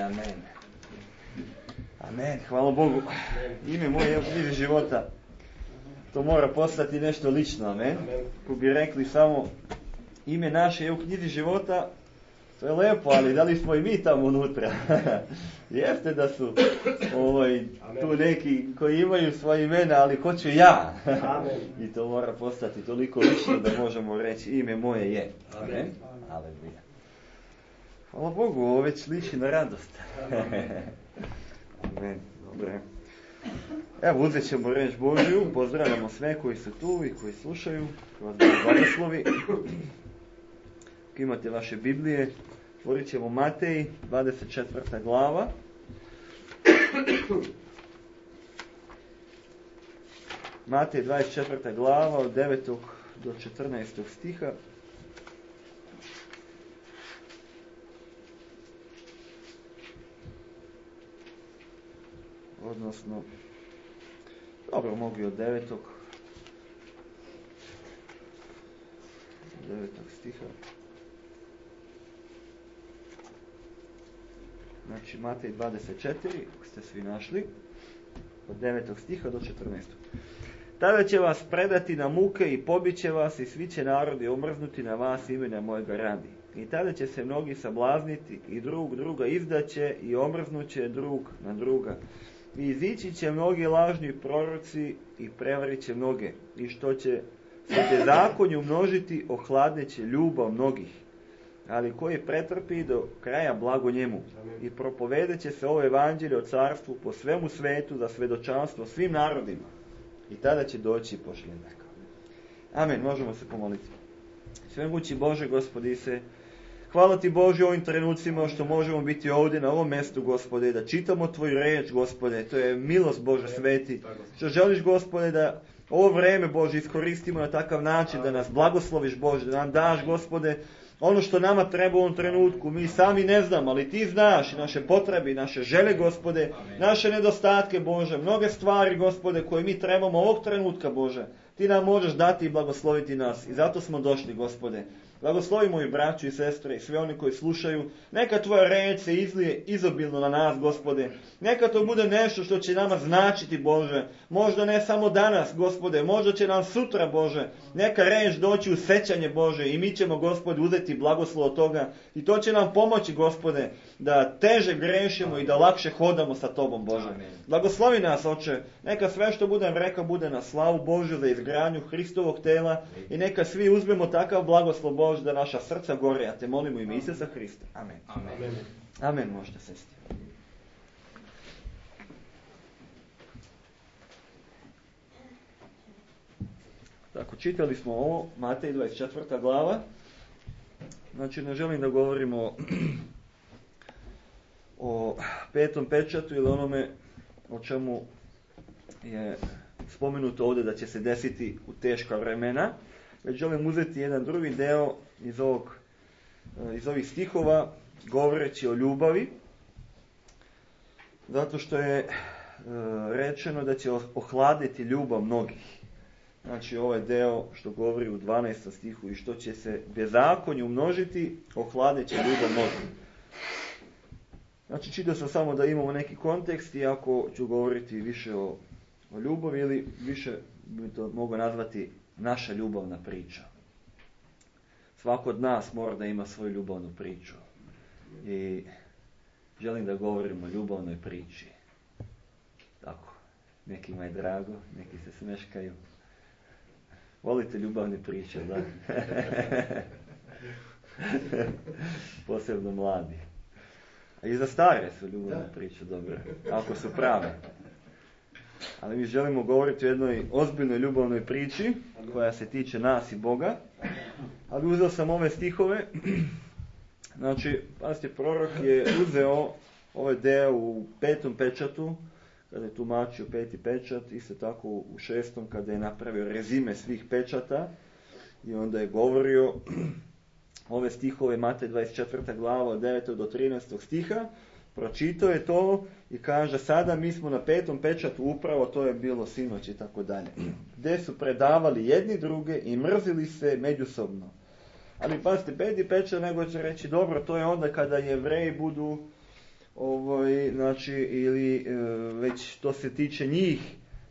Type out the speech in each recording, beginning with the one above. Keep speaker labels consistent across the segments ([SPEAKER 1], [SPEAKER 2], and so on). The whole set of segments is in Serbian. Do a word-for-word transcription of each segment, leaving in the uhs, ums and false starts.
[SPEAKER 1] i amen. Amen, hvala Bogu. Ime moje je u knjizi života. To mora postati nešto lično, amen. Ko bi rekli samo ime naše je u knjizi života, to je lepo, ali da li smo i mi tamo unutra? Jeste da su ovaj, tu neki koji imaju svoje imena, ali hoću ja. I to mora postati toliko lično da možemo reći ime moje je. Amen. Aleluja. Hvala Bogu, ovo već liči na radost. Amen. Dobre. Evo, uzet ćemo reč Božju, pozdravljamo sve koji su tu i koji slušaju, vas Bog blagoslovi. Ako imate vaše Biblije, otvorit ćemo Matej, dvadeset četvrta glava. Matej, dvadeset četvrta glava, od devetog do četrnaestog stiha. Odnosno, dobro, mogu i od devetog. devetog stiha. Znači, Matej dvadeset četiri, ako ste svi našli, od devetog stiha do četrnaestog. Tada će vas predati na muke i pobit će vas i svi će narodi omrznuti na vas imena mojega radi. I tada će se mnogi sablazniti i drug druga izdaće i omrznuće drug na druga. I izići će mnogi lažni proroci i prevarit će mnoge. I što će se bezakonje umnožiti, ohladneće ljubav mnogih. Ali koji pretrpi do kraja blago njemu. I propovedeće se ovo evanđelje o carstvu po svemu svetu za svedočanstvo svim narodima. I tada će doći pošljedak. Amen. Možemo se pomoliti. Svemogući Bože, Gospodi se, hvala Ti Bože ovim trenucima što možemo biti ovdje na ovom mjestu, Gospode, da čitamo Tvoju reč, Gospode. To je milost Bože sveti. Što želiš, Gospode, da ovo vreme, Bože, iskoristimo na takav način, da nas blagosloviš, Bože, da nam daš, Gospode, ono što nama treba u ovom trenutku. Mi sami ne znamo, ali Ti znaš i naše potrebe, naše želje, Gospode, naše nedostatke, Bože, mnoge stvari, Gospode, koje mi trebamo ovog trenutka, Bože. Ti nam možeš dati i blagosloviti nas. I zato smo došli, Gospode. Blagoslovi moji braću i sestre i sve oni koji slušaju. Neka Tvoja reč se izlije izobilno na nas, Gospode. Neka to bude nešto što će nama značiti, Bože. Možda ne samo danas, Gospode. Možda će nam sutra, Bože. Neka reč doći u sećanje, Bože. I mi ćemo, Gospode, uzeti blagoslov od toga. I to će nam pomoći, Gospode, da teže grešimo i da lakše hodamo sa Tobom, Bože. Blagoslovi nas, Oče. Neka sve što budem rekao bude na slavu Božju za izgradnju Hristovog tela. I neka svi uzmemo takav blagoslov, Bože, da naša srca gore, a Te molimo u ime Isusa Hrista. Amen. Amen. Amen, možete sesti. Tako, čitali smo ovo, Matej dvadeset četvrta glava. Znači, ne želim da govorimo o petom pečatu ili onome o čemu je spomenuto ovdje da će se desiti u teška vremena. Već želim uzeti jedan drugi deo iz, ovog, iz ovih stihova, govoreći o ljubavi, zato što je e, rečeno da će ohladiti ljubav mnogih. Znači, ovaj deo što govori u dvanaestom stihu, i što će se bezakonje umnožiti, ohladeće ljubav mnogih. Znači, čitao sam samo da imamo neki kontekst, i ako ću govoriti više o, o ljubavi, ili više bi to mogu nazvati naša ljubavna priča. Svako od nas mora da ima svoju ljubavnu priču. I želim da govorim o ljubavnoj priči. Tako, nekima je drago, neki se smeškaju. Volite ljubavne priče, da? Posebno mladi. A i za stare su ljubavne priče dobre, ako su prave. Ali mi želimo govoriti o jednoj ozbiljnoj ljubavnoj priči koja se tiče nas i Boga. Ali uzeo sam ove stihove. Znači, pazite, prorok je uzeo ovaj deo u petom pečatu, kada je tumačio peti pečat, isto tako u šestom kada je napravio rezime svih pečata, i onda je govorio ove stihove, Matej dvadeset četvrta glava od devetog do trinaestog stiha. Pročitao je to i kaže, sada mi smo na petom pečatu, upravo to je bilo sinoć i tako dalje, gdje su predavali jedni druge i mrzili se međusobno. Ali pazite, peti pečat, nego će reći, dobro, to je onda kada Jevreji budu ovaj, znači, ili e, već to se tiče njih,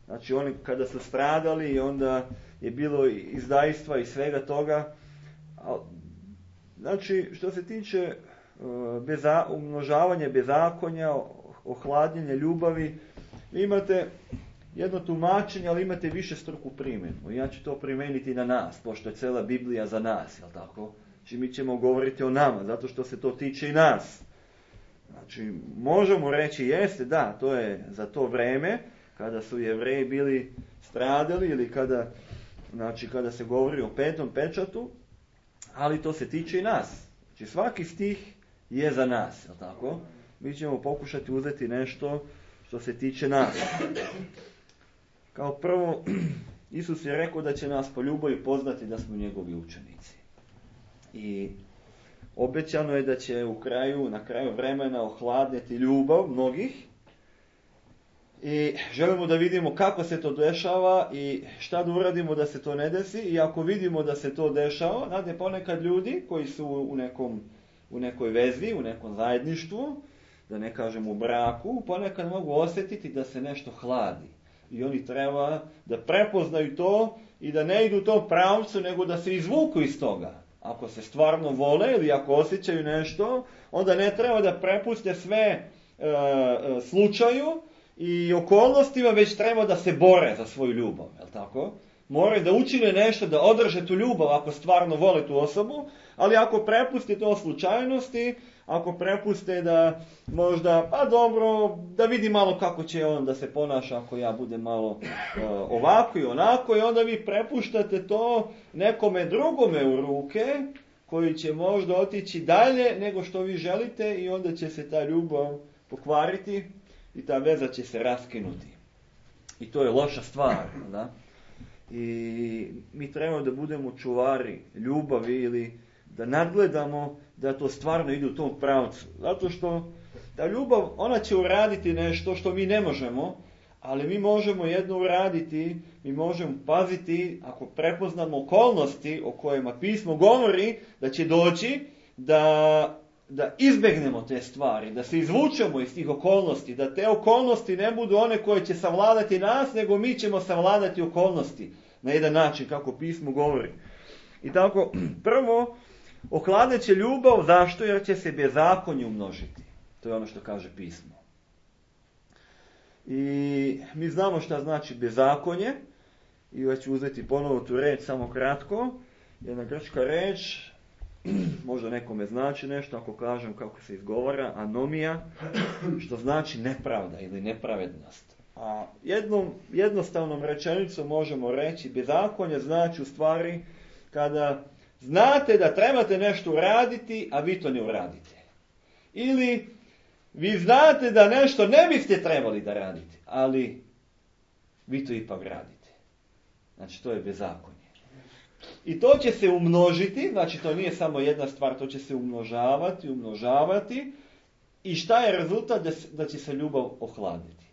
[SPEAKER 1] znači oni kada su stradali i onda je bilo izdajstva i svega toga. A, znači, što se tiče e, beza, umnožavanja bezakonja, ohladnjenja ljubavi, vi imate jedno tumačenje, ali imate više struku primjenu. Ja ću to primijeniti na nas, pošto je cela Biblija za nas, jel tako? Znači mi ćemo govoriti o nama, zato što se to tiče i nas. Znači, možemo reći, jeste, da, to je za to vreme, kada su Jevreji bili stradali, ili kada, znači, kada se govori o petom pečatu, ali to se tiče i nas. Znači, svaki stih je za nas, jel tako? Mi ćemo pokušati uzeti nešto što se tiče nas. Kao prvo, Isus je rekao da će nas po ljubavi poznati da smo njegovi učenici. I obećano je da će u kraju, na kraju vremena ohladniti ljubav mnogih. I želimo da vidimo kako se to dešava i šta da uradimo da se to ne desi. I ako vidimo da se to dešava, znate, ponekad ljudi koji su u, nekom, u nekoj vezi, u nekom zajedništvu, da ne kažem u braku, ponekad mogu osjetiti da se nešto hladi. I oni treba da prepoznaju to i da ne idu u tom pravcu, nego da se izvuku iz toga. Ako se stvarno vole ili ako osjećaju nešto, onda ne treba da prepuste sve e, slučaju i okolnostima, već treba da se bore za svoju ljubav, je li tako? Moraju da učine nešto, da održe tu ljubav ako stvarno vole tu osobu, ali ako prepuste to slučajnosti, ako prepuste da možda, pa dobro, da vidi malo kako će on da se ponaša ako ja budem malo uh, ovako i onako, i onda vi prepuštate to nekome drugome u ruke, koji će možda otići dalje nego što vi želite, i onda će se ta ljubav pokvariti i ta veza će se raskinuti. I to je loša stvar, da? I mi trebamo da budemo čuvari ljubavi, ili da nadgledamo da to stvarno ide u tom pravcu. Zato što ta ljubav, ona će uraditi nešto što mi ne možemo, ali mi možemo jedno uraditi, mi možemo paziti, ako prepoznamo okolnosti o kojima pismo govori, da će doći da, da izbegnemo te stvari, da se izvučemo iz tih okolnosti, da te okolnosti ne budu one koje će savladati nas, nego mi ćemo savladati okolnosti na jedan način, kako pismo govori. I tako, prvo, ohladeće ljubav, zašto? Jer će se bezakonje umnožiti. To je ono što kaže pismo. I mi znamo šta znači bezakonje. I ja ću uzeti ponovo tu reč, samo kratko. Jedna grčka reč, možda nekome znači nešto, ako kažem kako se izgovara, anomija, što znači nepravda ili nepravednost. A jednom, jednostavnom rečenicom možemo reći, bezakonje znači u stvari kada znate da trebate nešto uraditi, a vi to ne uradite. Ili vi znate da nešto ne biste trebali da radite, ali vi to ipak radite. Znači, to je bezakonje. I to će se umnožiti, znači to nije samo jedna stvar, to će se umnožavati, umnožavati. I šta je rezultat? Da, da će se ljubav ohladiti.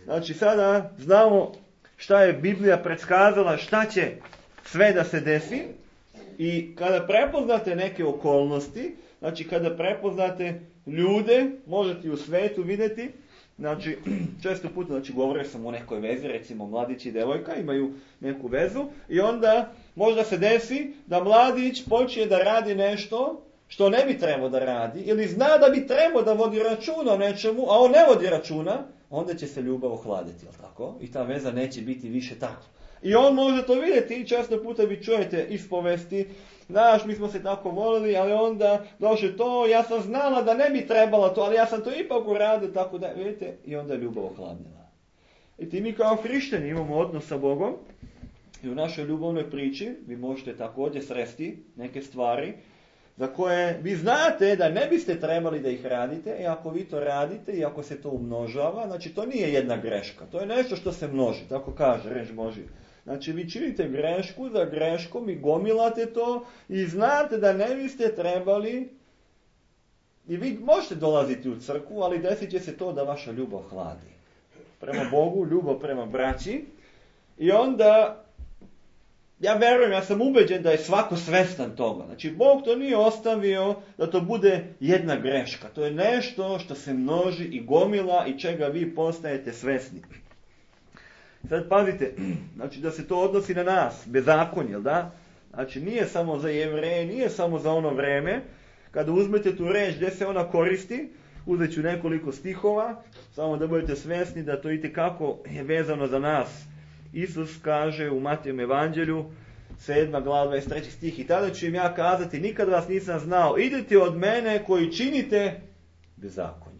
[SPEAKER 1] Znači, sada znamo šta je Biblija predskazala, šta će sve da se desi. I kada prepoznate neke okolnosti, znači kada prepoznate ljude, možete u svetu vidjeti, znači često puta, znači govorio sam o nekoj vezi, recimo mladić i devojka imaju neku vezu, i onda možda se desi da mladić počne da radi nešto što ne bi trebao da radi, ili zna da bi trebao da vodi računa o nečemu, a on ne vodi računa, onda će se ljubav ohladiti, jel tako? I ta veza neće biti više takva. I on može to vidjeti, i često puta vi čujete ispovesti, znaš, mi smo se tako volili, ali onda došlo to, ja sam znala da ne bi trebalo to, ali ja sam to ipak uradio, tako da, vidite, i onda je ljubav ohladnila. I ti mi kao hrišćani imamo odnos sa Bogom, i u našoj ljubavnoj priči vi možete također sresti neke stvari za koje vi znate da ne biste trebali da ih radite, i ako vi to radite i ako se to umnožava, znači to nije jedna greška, to je nešto što se množi, tako kaže reč Božja. Znači vi činite grešku za greškom i gomilate to i znate da ne biste trebali, i vi možete dolaziti u crkvu, ali desit će se to da vaša ljubav hladi. Prema Bogu, ljubav prema braći, i onda ja verujem, ja sam ubeđen da je svako svestan toga. Znači, Bog to nije ostavio da to bude jedna greška. To je nešto što se množi i gomila i čega vi postajete svesni. Sad pazite, znači da se to odnosi na nas, bezakonje, jel da? Znači, nije samo za Jevreje, nije samo za ono vreme. Kada uzmete tu reč gdje se ona koristi, uzet ću nekoliko stihova, samo da budete svjesni da to itekako je vezano za nas. Isus kaže u Matijevom evanđelju, sedma glava, dvadeset treći stih, i tada ću im ja kazati, nikad vas nisam znao, idite od mene koji činite bezakonje.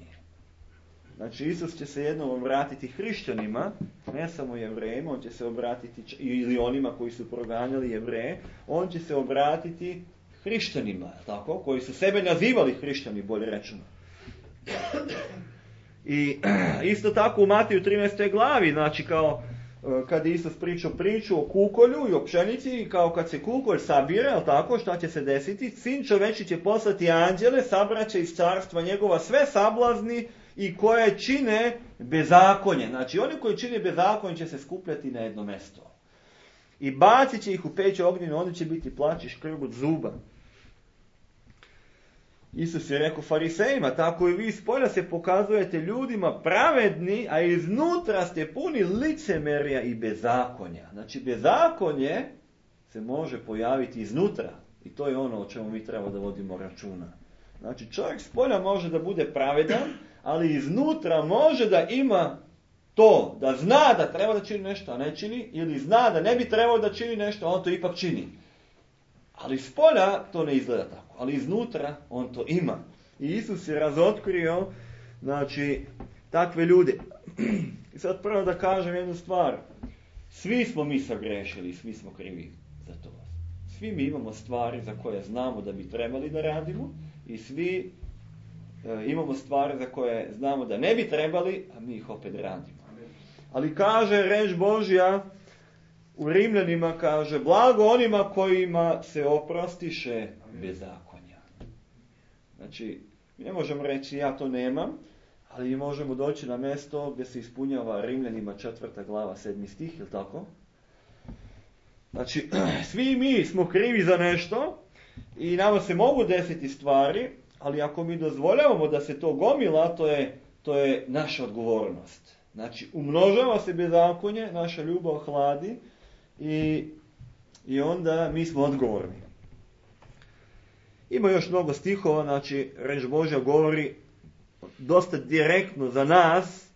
[SPEAKER 1] Znači, Isus će se jednom obratiti hrišćanima, ne samo Jevrejima, on će se obratiti, ili onima koji su proganjali Jevreje, on će se obratiti hrišćanima, tako, koji su sebe nazivali hrišćani, bolje rečeno. I isto tako u Mateju trinaestoj glavi, znači kao kad je Isus pričao priču o kukolju i o pšenici, i kao kad se kukolj sabire, jel tako, šta će se desiti? Sin čoveči će poslati anđele, sabraće iz carstva njegova sve sablazni i koje čine bezakonje. Znači, oni koji čine bezakonje će se skupljati na jedno mjesto. I bacit će ih u peć ognjenu, onda će biti plač i škrbut zuba. Isus je rekao farisejima, tako i vi spolja se pokazujete ljudima pravedni, a iznutra ste puni licemerja i bezakonja. Znači, bezakonje se može pojaviti iznutra. I to je ono o čemu mi treba da vodimo računa. Znači, čovjek spolja može da bude pravedan, ali iznutra može da ima to, da zna da treba da čini nešto, a ne čini, ili zna da ne bi trebao da čini nešto, a on to ipak čini. Ali spolja to ne izgleda tako, ali iznutra on to ima. I Isus je razotkrio, znači, takve ljude. I sad prvo da kažem jednu stvar. Svi smo mi sagrešili, svi smo krivi za to. Svi mi imamo stvari za koje znamo da bi trebali da radimo i svi e, imamo stvari za koje znamo da ne bi trebali, a mi ih opet radimo. Ali kaže reč Božja u Rimljanima, kaže, blago onima kojima se oprostiše bezakonja. Znači, ne možemo reći ja to nemam, ali možemo doći na mjesto gdje se ispunjava Rimljanima četvrta glava, sedmi stih, ili tako? Znači, svi mi smo krivi za nešto i nama se mogu desiti stvari, ali ako mi dozvoljavamo da se to gomila, to je, to je naša odgovornost. Znači, umnožava se bezakonje, naša ljubav hladi i, i onda mi smo odgovorni. Ima još mnogo stihova, znači, reč Božja govori dosta direktno za nas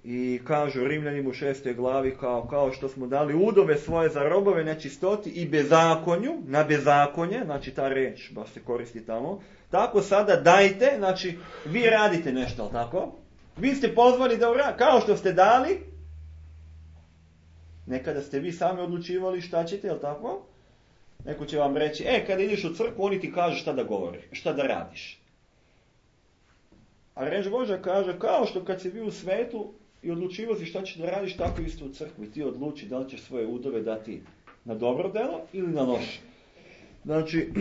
[SPEAKER 1] i kažu Rimljanima u šestoj glavi kao, kao što smo dali udove svoje za robove nečistoti i bezakonju, na bezakonje, znači ta reč baš se koristi tamo, tako sada dajte, znači vi radite nešto, ali tako? Vi ste pozvani da uradite, kao što ste dali, nekada ste vi sami odlučivali šta ćete, jel tako? Neko će vam reći, e, kada ideš u crkvu, oni ti kažu šta da govoriš, šta da radiš. A reč Božja kaže, kao što kad si bio u svetu i odlučivao si šta ćeš da radiš, tako isto u crkvi. Ti odluči da li ćeš svoje udove dati na dobro delo ili na loše. Znači,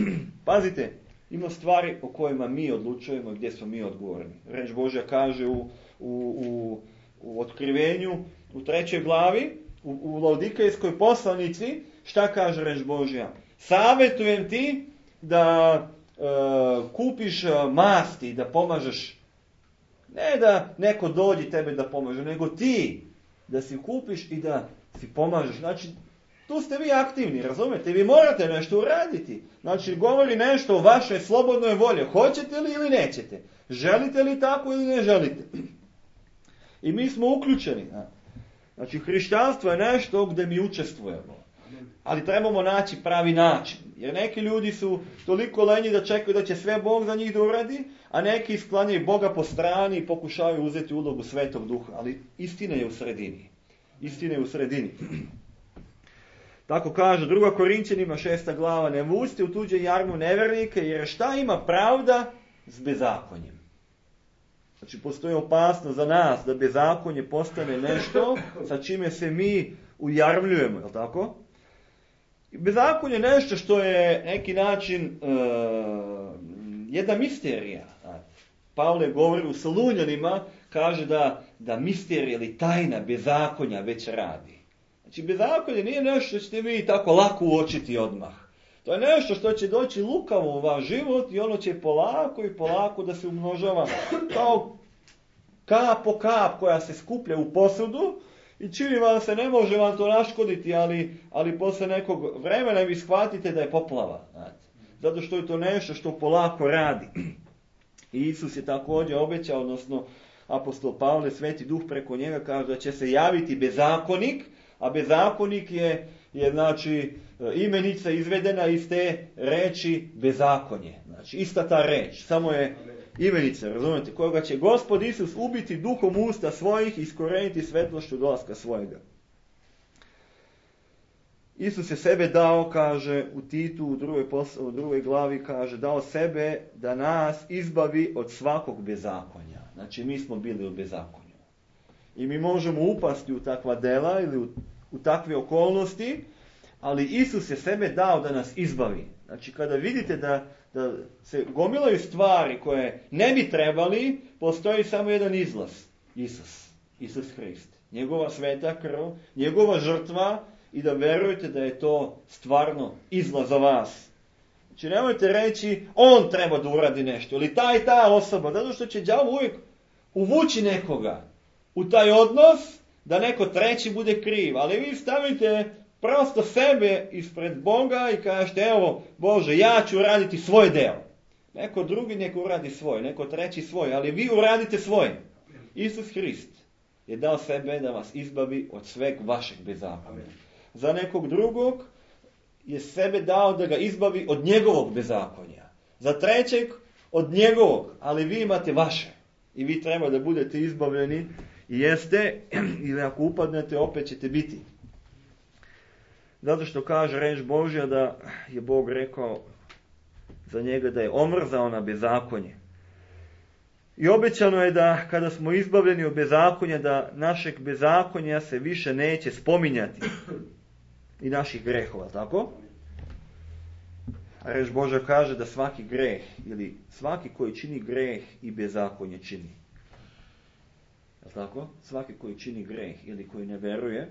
[SPEAKER 1] pazite, ima stvari o kojima mi odlučujemo i gdje smo mi odgovorni. Reč Božja kaže u, u, u, u otkrivenju, u trećoj glavi, u, u Laodikejskoj poslanici, šta kaže reč Božja? Savjetujem ti da e, kupiš masti, da pomažeš. Ne da neko dođi tebe da pomaže, nego ti da si kupiš i da si pomažeš. Znači, tu ste vi aktivni, razumete? Vi morate nešto uraditi. Znači, govori nešto o vašoj slobodnoj volji. Hoćete li ili nećete? Želite li tako ili ne želite? I mi smo uključeni. Znači, hrišćanstvo je nešto gdje mi učestvujemo. Ali trebamo naći pravi način. Jer neki ljudi su toliko lenji da čekaju da će sve Bog za njih da uradi, a neki sklanjaju Boga po strani i pokušavaju uzeti ulogu Svetog Duha. Ali istina je u sredini. Istina je u sredini. Tako kaže druga Korinćanima šesta glava, ne vucite u tuđe jarmu nevernike, jer šta ima pravda s bezakonjem? Znači, postoji opasnost za nas da bezakonje postane nešto sa čime se mi ujarmljujemo, je li tako? Bezakonje je nešto što je neki način uh, jedna misterija. Pavle govori u Solunjanima, kaže da, da misterija ili tajna bezakonja već radi. Znači, bezakonje nije nešto što ćete vi tako lako uočiti odmah. To je nešto što će doći lukavo u vaš život i ono će polako i polako da se umnožava kao kap po kap koja se skuplja u posudu i čini vam se, ne može vam to naškoditi, ali, ali posle nekog vremena vi shvatite da je poplava. Znate. Zato što je to nešto što polako radi. I Isus je također obećao, odnosno apostol Pavle, Sveti Duh preko njega kaže da će se javiti bezakonik, a bezakonik je, je znači imenica izvedena iz te reči bezakonje. Znači ista ta reč, samo je imenica, razumijete, koga će Gospod Isus ubiti duhom usta svojih i iskoreniti svetlošću dolaska svojega. Isus je sebe dao, kaže u Titu, u drugoj, pos, u drugoj glavi, kaže, dao sebe da nas izbavi od svakog bezakonja. Znači, mi smo bili u bezakonju. I mi možemo upasti u takva dela ili u, u takve okolnosti, ali Isus je sebe dao da nas izbavi. Znači, kada vidite da, da se gomilaju stvari koje ne bi trebali, postoji samo jedan izlaz. Isus. Isus Hrist. Njegova sveta krv, njegova žrtva, i da verujete da je to stvarno izlaz za vas. Znači nemojte reći, on treba da uradi nešto, ili ta i ta osoba, zato što će đavo uvijek uvući nekoga u taj odnos, da neko treći bude kriv. Ali vi stavite prosto sebe ispred Boga i kažete, evo, Bože, ja ću uraditi svoj deo. Neko drugi neko uradi svoj, neko treći svoj, ali vi uradite svoj. Isus Hrist je dao sebe da vas izbavi od sveg vašeg bezakonja. Za nekog drugog je sebe dao da ga izbavi od njegovog bezakonja. Za trećeg od njegovog, ali vi imate vaše. I vi treba da budete izbavljeni i jeste, ili ako upadnete, opet ćete biti. Zato što kaže reč Božja da je Bog rekao za njega da je omrzao na bezakonje. I obećano je da kada smo izbavljeni od bezakonja, da našeg bezakonja se više neće spominjati. I naših grehova, tako? A reč Božja kaže da svaki greh, ili svaki koji čini greh i bezakonje čini. Je tako? Svaki koji čini greh ili koji ne veruje,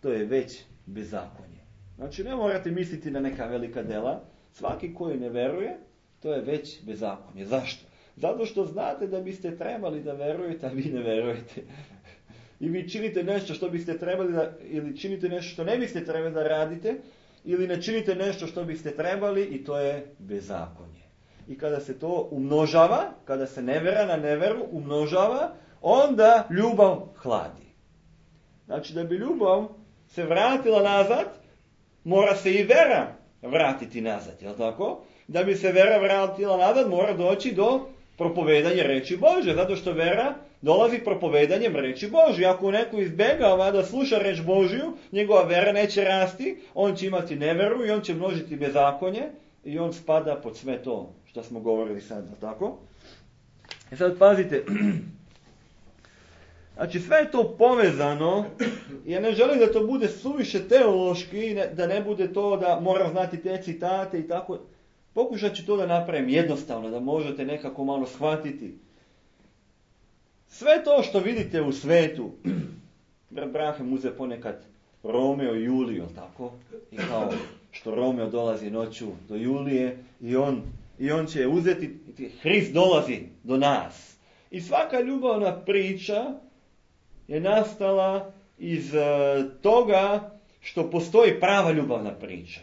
[SPEAKER 1] to je već bezakonje. Znači ne morate misliti na neka velika dela. Svaki koji ne veruje, to je već bezakonje. Zašto? Zato što znate da biste trebali da verujete, a vi ne verujete. I vi činite nešto što biste trebali da, ili činite nešto što ne biste trebali da radite, ili ne činite nešto što biste trebali i to je bezakonje. I kada se to umnožava, kada se nevera na neveru umnožava, onda ljubav hladi. Znači da bi ljubav se vratila nazad, mora se i vera vratiti nazad, je li tako? Da bi se vera vratila nazad, mora doći do propovedanja reči Božje, zato što vera dolazi propovedanjem reči Božje. Ako neko izbjegava da sluša reč Božju, njegova vera neće rasti, on će imati neveru i on će množiti bezakonje i on spada pod sve to što smo govorili sad, tako? I sad pazite, znači sve je to povezano, ja ne želim da to bude suviše teološki, da ne bude to da moram znati te citate i tako. Pokušat ću to da napravim jednostavno, da možete nekako malo shvatiti. Sve to što vidite u svetu, brat Brahem uze ponekad Romeo i Juliju, tako? I kao što Romeo dolazi noću do Julije i on, i on će uzeti, Hrist dolazi do nas. I svaka ljubavna priča je nastala iz toga što postoji prava ljubavna priča.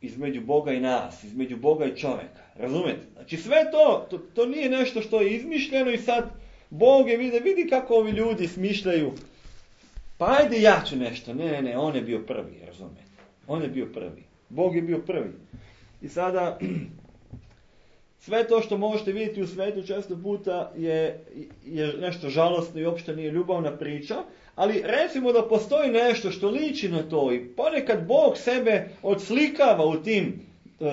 [SPEAKER 1] Između Boga i nas, između Boga i čovjeka. Razumete? Znači sve to, to, to nije nešto što je izmišljeno i sad Bog je vidi, vidi kako ovi ljudi smišljaju. Pa ajde ja ću nešto. Ne, ne, ne, on je bio prvi, razumete? On je bio prvi. Bog je bio prvi. I sada, sve to što možete vidjeti u svijetu često puta je, je nešto žalostno i uopšte nije ljubavna priča, ali recimo da postoji nešto što liči na to i ponekad Bog sebe odslikava u tim e,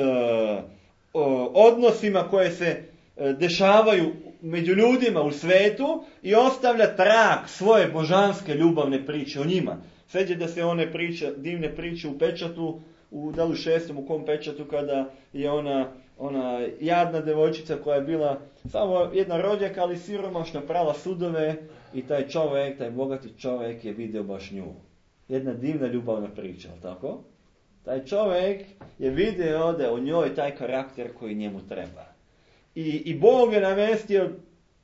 [SPEAKER 1] o, odnosima koje se e, dešavaju među ljudima u svetu i ostavlja trag svoje božanske ljubavne priče o njima. Sveđe da se one priče, divne priče u pečatu, u da li u šestom, u kom pečatu, kada je ona, ona jadna devojčica koja je bila samo jedna rođaka, ali siromašna, prala sudove i taj čovjek, taj bogati čovjek je vidio baš nju. jedna divna ljubavna priča, tako? Taj čovjek je vidio da je u njoj taj karakter koji njemu treba. I, i Bog je namestio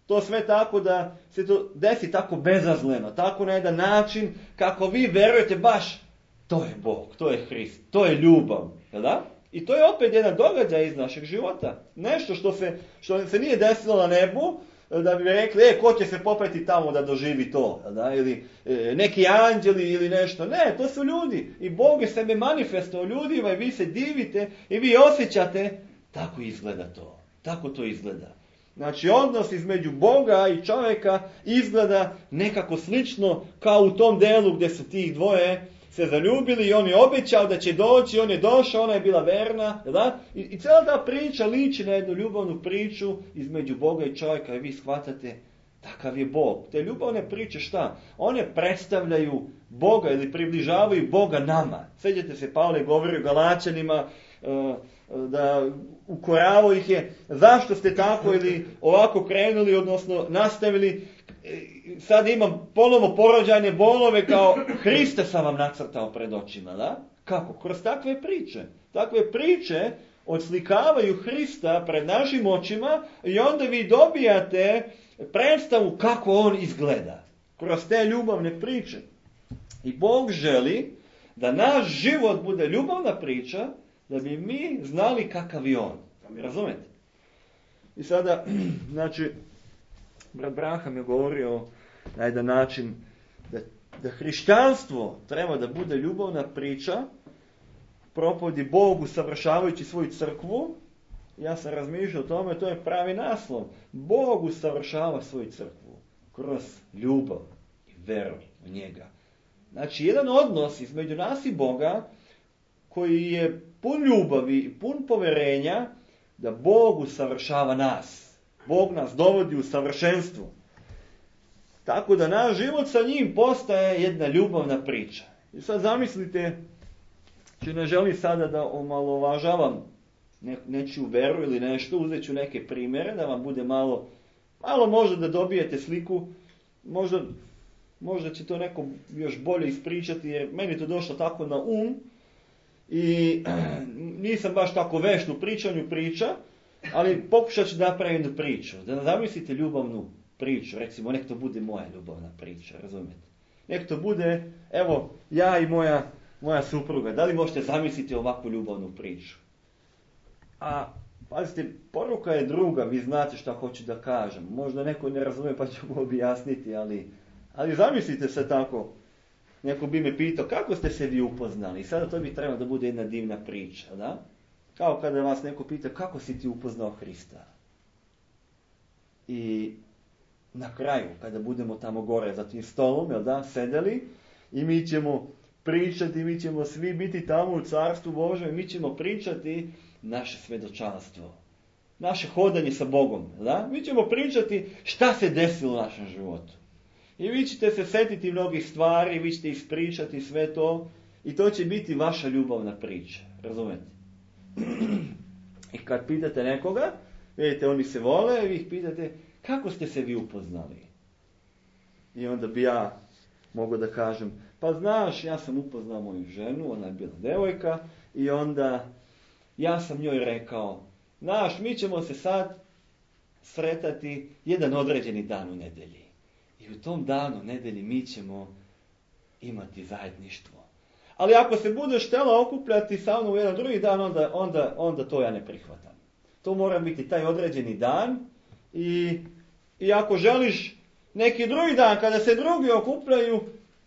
[SPEAKER 1] to sve tako da se to desi tako bezazleno, tako na jedan način kako vi verujete baš to je Bog, to je Hrist, to je ljubav, jel da? I to je opet jedan događaj iz našeg života. Nešto što se, što se nije desilo na nebu, da bi rekli, e, ko će se popeti tamo da doživi to, da? Ili e, neki anđeli ili nešto. Ne, to su ljudi. I Bog je sebe manifestovao ljudima i vi se divite i vi osjećate, tako izgleda to. Tako to izgleda. Znači, odnos između Boga i čovjeka izgleda nekako slično kao u tom delu gdje su tih dvoje se zaljubili i on je obećao da će doći, on je došao, ona je bila verna, da? I, i cijela ta priča liči na jednu ljubavnu priču između Boga i čovjeka i vi shvatate, takav je Bog. Te ljubavne priče šta? One predstavljaju Boga ili približavaju Boga nama. Sjećate se, Pavle govori o Galačanima, da ukoravao ih je, zašto ste tako ili ovako krenuli, odnosno nastavili. Sad imam ponovo porođajne bolove kao Hrista sam vam nacrtao pred očima, da? Kako? Kroz takve priče. Takve priče odslikavaju Hrista pred našim očima i onda vi dobijate predstavu kako on izgleda. Kroz te ljubavne priče. I Bog želi da naš život bude ljubavna priča, da bi mi znali kakav je on. Razumete? I sada, znači, brat Braham je govorio na jedan način da, da hrišćanstvo treba da bude ljubavna priča, propovedi Bogu savršavajući svoju crkvu. Ja sam razmišljao o tome, to je pravi naslov. Bog usavršava svoju crkvu kroz ljubav i veru u njega. Znači, jedan odnos između nas i Boga koji je pun ljubavi i pun poverenja da Bog usavršava nas. Bog nas dovodi u savršenstvo. Tako da naš život sa njim postaje jedna ljubavna priča. I sad zamislite, či ne želim sada da omalovažavam ne, nečiju veru ili nešto, uzet ću neke primjere da vam bude malo, malo možda da dobijete sliku, možda, možda će to neko još bolje ispričati, jer meni to došlo tako na um i nisam baš tako vešt u pričanju priča, ali pokušat ću da napravim jednu priču. Da zamislite ljubavnu priču, recimo nek to bude moja ljubavna priča, razumijete? Nek to bude, evo, ja i moja, moja supruga. Da li možete zamisliti ovakvu ljubavnu priču? A, pazite, poruka je druga, vi znate šta hoću da kažem. Možda neko ne razumije pa ću mu objasniti, ali, ali zamislite se tako. Neko bi me pitao, kako ste se vi upoznali? I sada to bi trebalo da bude jedna divna priča, da? Kao kada vas neko pita, kako si ti upoznao Hrista? I na kraju, kada budemo tamo gore za tim stolom, jel da, sedeli, i mi ćemo pričati, mi ćemo svi biti tamo u Carstvu Božjem, i mi ćemo pričati naše svedočanstvo, naše hodanje sa Bogom, da? Mi ćemo pričati šta se desilo u našem životu. I vi ćete se setiti mnogih stvari, vi ćete ispričati sve to, i to će biti vaša ljubavna priča, razumete? I kad pitate nekoga, vidite, oni se vole, vi ih pitate, kako ste se vi upoznali? I onda bi ja mogao da kažem, pa znaš, ja sam upoznao moju ženu, ona je bila devojka, i onda ja sam njoj rekao, znaš, mi ćemo se sad sretati jedan određeni dan u nedelji. I u tom danu u nedelji mi ćemo imati zajedništvo. Ali ako se budeš htjela okupljati sa mnom u jedan drugi dan, onda, onda, onda to ja ne prihvatam. To mora biti taj određeni dan i, i ako želiš neki drugi dan kada se drugi okupljaju,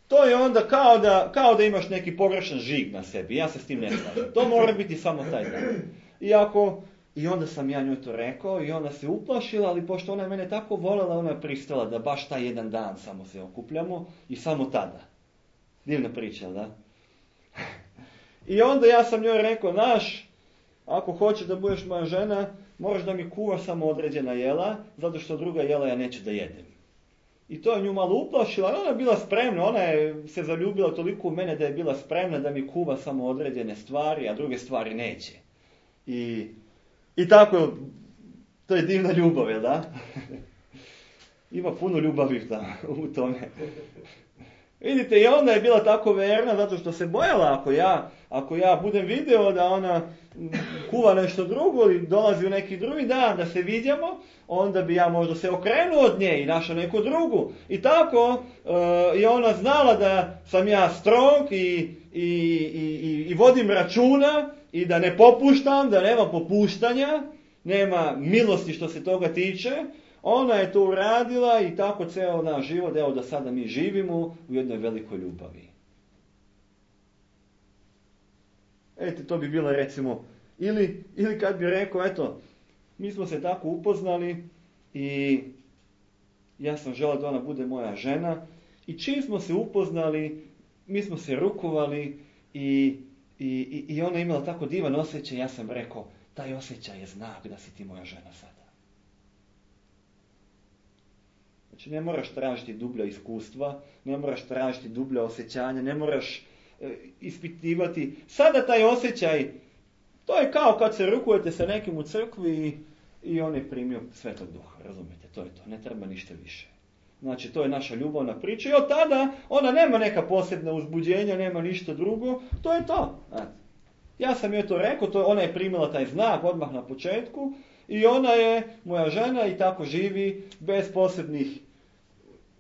[SPEAKER 1] to je onda kao da, kao da imaš neki pogrešan žig na sebi. Ja se s tim ne slažem. To mora biti samo taj dan. I, ako, I onda sam ja njoj to rekao i ona se uplašila, ali pošto ona je mene tako voljela, ona je pristala da baš taj jedan dan samo se okupljamo i samo tada. Divna priča, da? I onda ja sam njoj rekao, znaš, ako hoćeš da budeš moja žena, moraš da mi kuvaš samo određena jela, zato što druga jela ja neću da jedem. I to je nju malo uplašila, ali ona je bila spremna, ona je se zaljubila toliko u mene da je bila spremna da mi kuva samo određene stvari, a druge stvari neće. I, i tako, to je divna ljubav, jel da? Ima puno ljubavi u tome. Vidite, i onda je bila tako verna zato što se bojala ako ja, ako ja budem video da ona kuva nešto drugo ili dolazi u neki drugi dan da se vidimo, onda bi ja možda se okrenuo od nje i našao neku drugu. I tako uh, je ona znala da sam ja strong i, i, i, i vodim računa i da ne popuštam, da nema popuštanja, nema milosti što se toga tiče. Ona je to uradila i tako ceo naš život, evo da sada mi živimo u jednoj velikoj ljubavi. Eto, to bi bilo recimo, ili, ili kad bi rekao, eto, mi smo se tako upoznali i ja sam želeo da ona bude moja žena i čim smo se upoznali, mi smo se rukovali i, i, i ona imala tako divan osjećaj, ja sam rekao, taj osjećaj je znak da si ti moja žena sada. Znači ne moraš tražiti dublja iskustva, ne moraš tražiti dublja osjećanja, ne moraš e, ispitivati. Sada taj osjećaj, to je kao kad se rukujete sa nekim u crkvi i, i on je primio Svetog Duha, razumijete, to je to, ne treba ništa više. Znači to je naša ljubavna priča i od tada ona nema neka posebna uzbuđenja, nema ništa drugo, to je to. Znači, ja sam joj to rekao, to, ona je primila taj znak odmah na početku i ona je moja žena i tako živi bez posebnih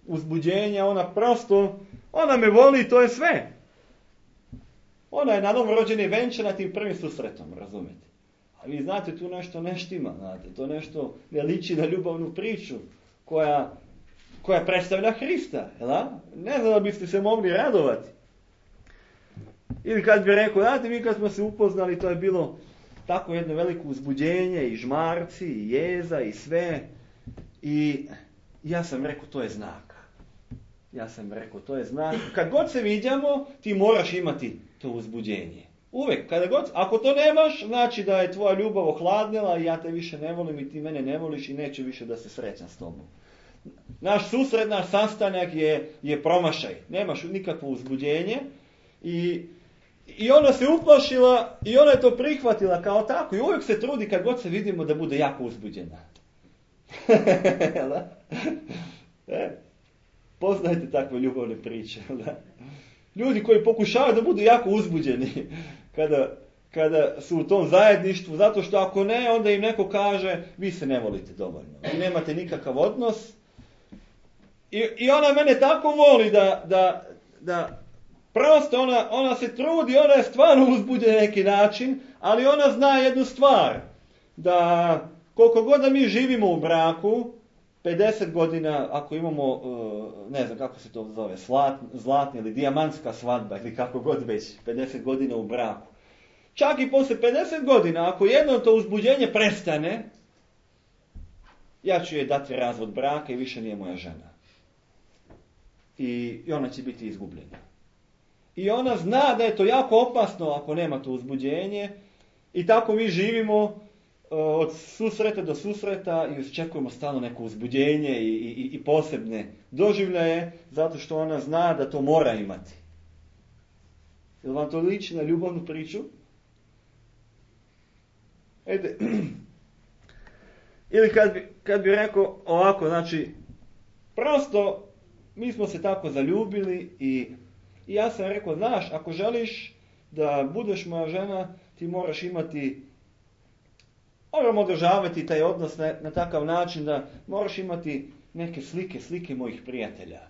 [SPEAKER 1] uzbuđenja, ona prosto, ona me voli i to je sve. Ona je na novom rođeni venčana tim prvim susretom, razumijete. A vi znate, tu nešto ne štima, znate, to nešto ne liči na ljubavnu priču koja, koja predstavlja Hrista, jel? Ne znam da biste se mogli radovati. Ili kad bi rekao, znate, mi kad smo se upoznali, to je bilo tako jedno veliko uzbuđenje i žmarci i jeza i sve. I ja sam rekao, to je znak. Ja sam rekao, to je znak. Kad god se viđamo, ti moraš imati to uzbuđenje. Uvijek, kada god, ako to nemaš, znači da je tvoja ljubav ohladnila i ja te više ne volim i ti mene ne voliš i neću više da se srećam s tobom. Naš susret, naš sastanak je, je promašaj. Nemaš nikakvo uzbuđenje i, i ona se uplašila i ona je to prihvatila kao tako i uvijek se trudi kad god se vidimo da bude jako uzbuđena. e? Poznajte takve ljubavne priče. Da? Ljudi koji pokušavaju da budu jako uzbuđeni kada, kada su u tom zajedništvu, zato što ako ne, onda im neko kaže, vi se ne volite dovoljno. Vi nemate nikakav odnos. I, i ona mene tako voli da, da, da prosto ona, ona se trudi, ona je stvarno uzbuđena na neki način, ali ona zna jednu stvar, da koliko god da mi živimo u braku, pedeset godina, ako imamo, ne znam kako se to zove, zlatna ili dijamantska svadba, ili kako god već, pedeset godina u braku. Čak i posle pedeset godina, ako jedno to uzbuđenje prestane, ja ću je dati razvod braka i više nije moja žena. I, i ona će biti izgubljena. I ona zna da je to jako opasno ako nema to uzbuđenje i tako mi živimo od susreta do susreta i očekujemo stalno neko uzbuđenje i, i, i posebne doživljaje, zato što ona zna da to mora imati. Jel vam to liči na ljubavnu priču? Ede. Ili kad bi, kad bi rekao ovako, znači, prosto mi smo se tako zaljubili i, i ja sam rekao, znaš, ako želiš da budeš moja žena, ti moraš imati, moramo održavati taj odnos na, na takav način da moraš imati neke slike, slike mojih prijatelja.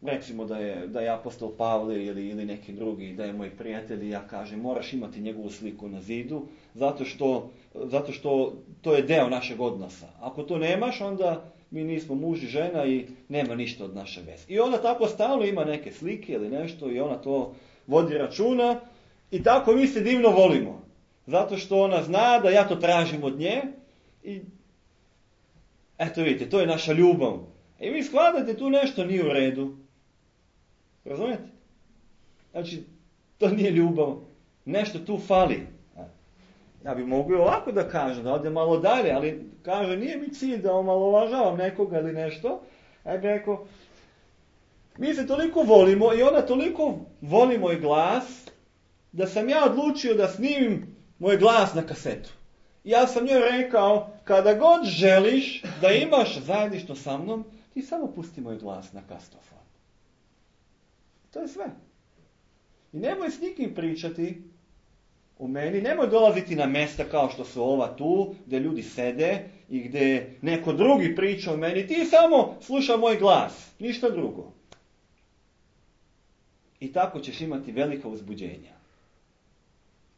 [SPEAKER 1] Recimo da je, da je apostol Pavle ili, ili neki drugi, da je moj prijatelj i ja kažem, moraš imati njegovu sliku na zidu, zato što, zato što to je deo našeg odnosa. Ako to nemaš, onda mi nismo muž i žena i nema ništa od naše veze. I ona tako stalno ima neke slike ili nešto i ona to vodi računa i tako mi se divno volimo. Zato što ona zna da ja to tražim od nje i eto vidite, to je naša ljubav. I vi shvatate, tu nešto nije u redu. Razumijete? Znači, to nije ljubav. Nešto tu fali. Ja bi mogao ovako da kažem, da ode malo dalje, ali kaže, nije mi cilj da omalovažavam nekoga ili nešto. Ja bih rekao, mi se toliko volimo i ona toliko voli moj glas, da sam ja odlučio da snimim moj glas na kasetu. Ja sam njoj rekao, kada god želiš da imaš zajedništvo sa mnom, ti samo pusti moj glas na kastofon. To je sve. I nemoj s nikim pričati o meni, nemoj dolaziti na mjesta kao što su ova tu, gdje ljudi sede i gdje neko drugi priča o meni. Ti samo slušaj moj glas, ništa drugo. I tako ćeš imati velika uzbuđenja.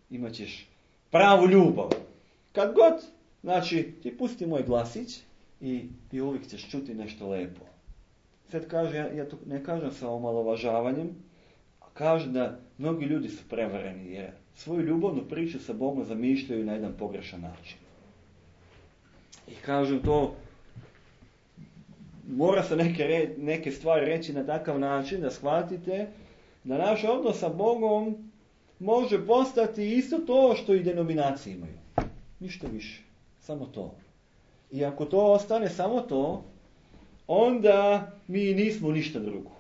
[SPEAKER 1] Imaćeš pravu ljubav. Kad god, znači, ti pusti moj glasić i, i uvijek ćeš čuti nešto lepo. Sad kaže, ja, ja to ne kažem sa omalovažavanjem, a kažem da mnogi ljudi su prevareni jer svoju ljubavnu priču sa Bogom zamišljaju na jedan pogrešan način. I kažem to, mora se neke, neke stvari reći na takav način da shvatite da naš odnos sa Bogom može postati isto to što i denominacije imaju. Ništa više. Samo to. I ako to ostane samo to, onda mi nismo ništa drugo.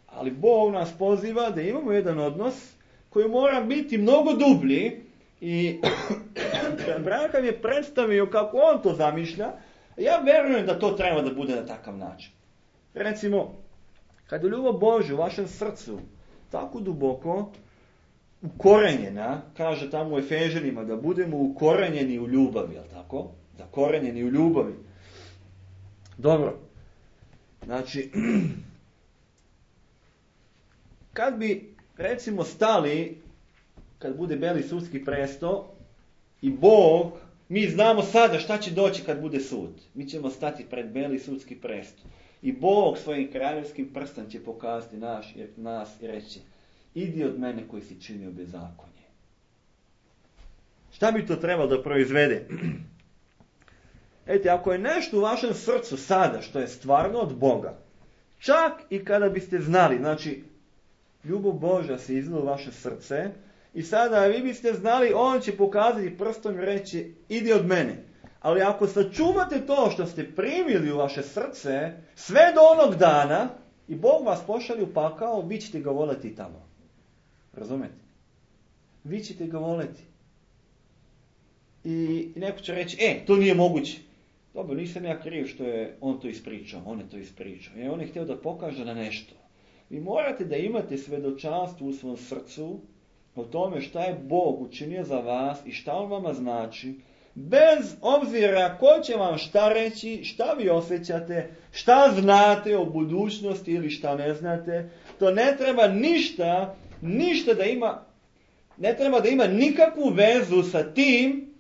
[SPEAKER 1] Ali Bog nas poziva da imamo jedan odnos koji mora biti mnogo dublji i Branka mi je predstavio kako on to zamišlja. Ja vjerujem da to treba da bude na takav način. Recimo, kad je ljubav Božja u vašem srcu tako duboko ukorenjena, kaže tamo u Efežanima da budemo ukorenjeni u ljubavi, jel tako? Zakorenjeni u ljubavi. Dobro. Znači, kad bi, recimo, stali, kad bude beli sudski presto, i Bog, mi znamo sada šta će doći kad bude sud. Mi ćemo stati pred beli sudski presto. I Bog svojim kraljevskim prstom će pokazati naš, nas i reći, idi od mene koji si činio bezakonje. Šta bi to trebalo da proizvede? Ete, ako je nešto u vašem srcu sada što je stvarno od Boga, čak i kada biste znali, znači, ljubav Božja se izlila u vaše srce, i sada vi biste znali, on će pokazati prstom i reći, idi od mene. Ali ako sačuvate to što ste primili u vaše srce, sve do onog dana, i Bog vas pošalje u pakao, vi ćete ga voleti tamo. Razumete? Vi ćete ga voleti. I neko će reći, e, to nije moguće. Dobro, nisam ja kriv što je on to ispričao, on je to ispričao. I on je htio da pokaže na nešto. Vi morate da imate svedočanstvo u svom srcu o tome šta je Bog učinio za vas i šta on vama znači, bez obzira ko će vam šta reći, šta vi osjećate, šta znate o budućnosti ili šta ne znate. To ne treba ništa, ništa da ima, ne treba da ima nikakvu vezu sa tim,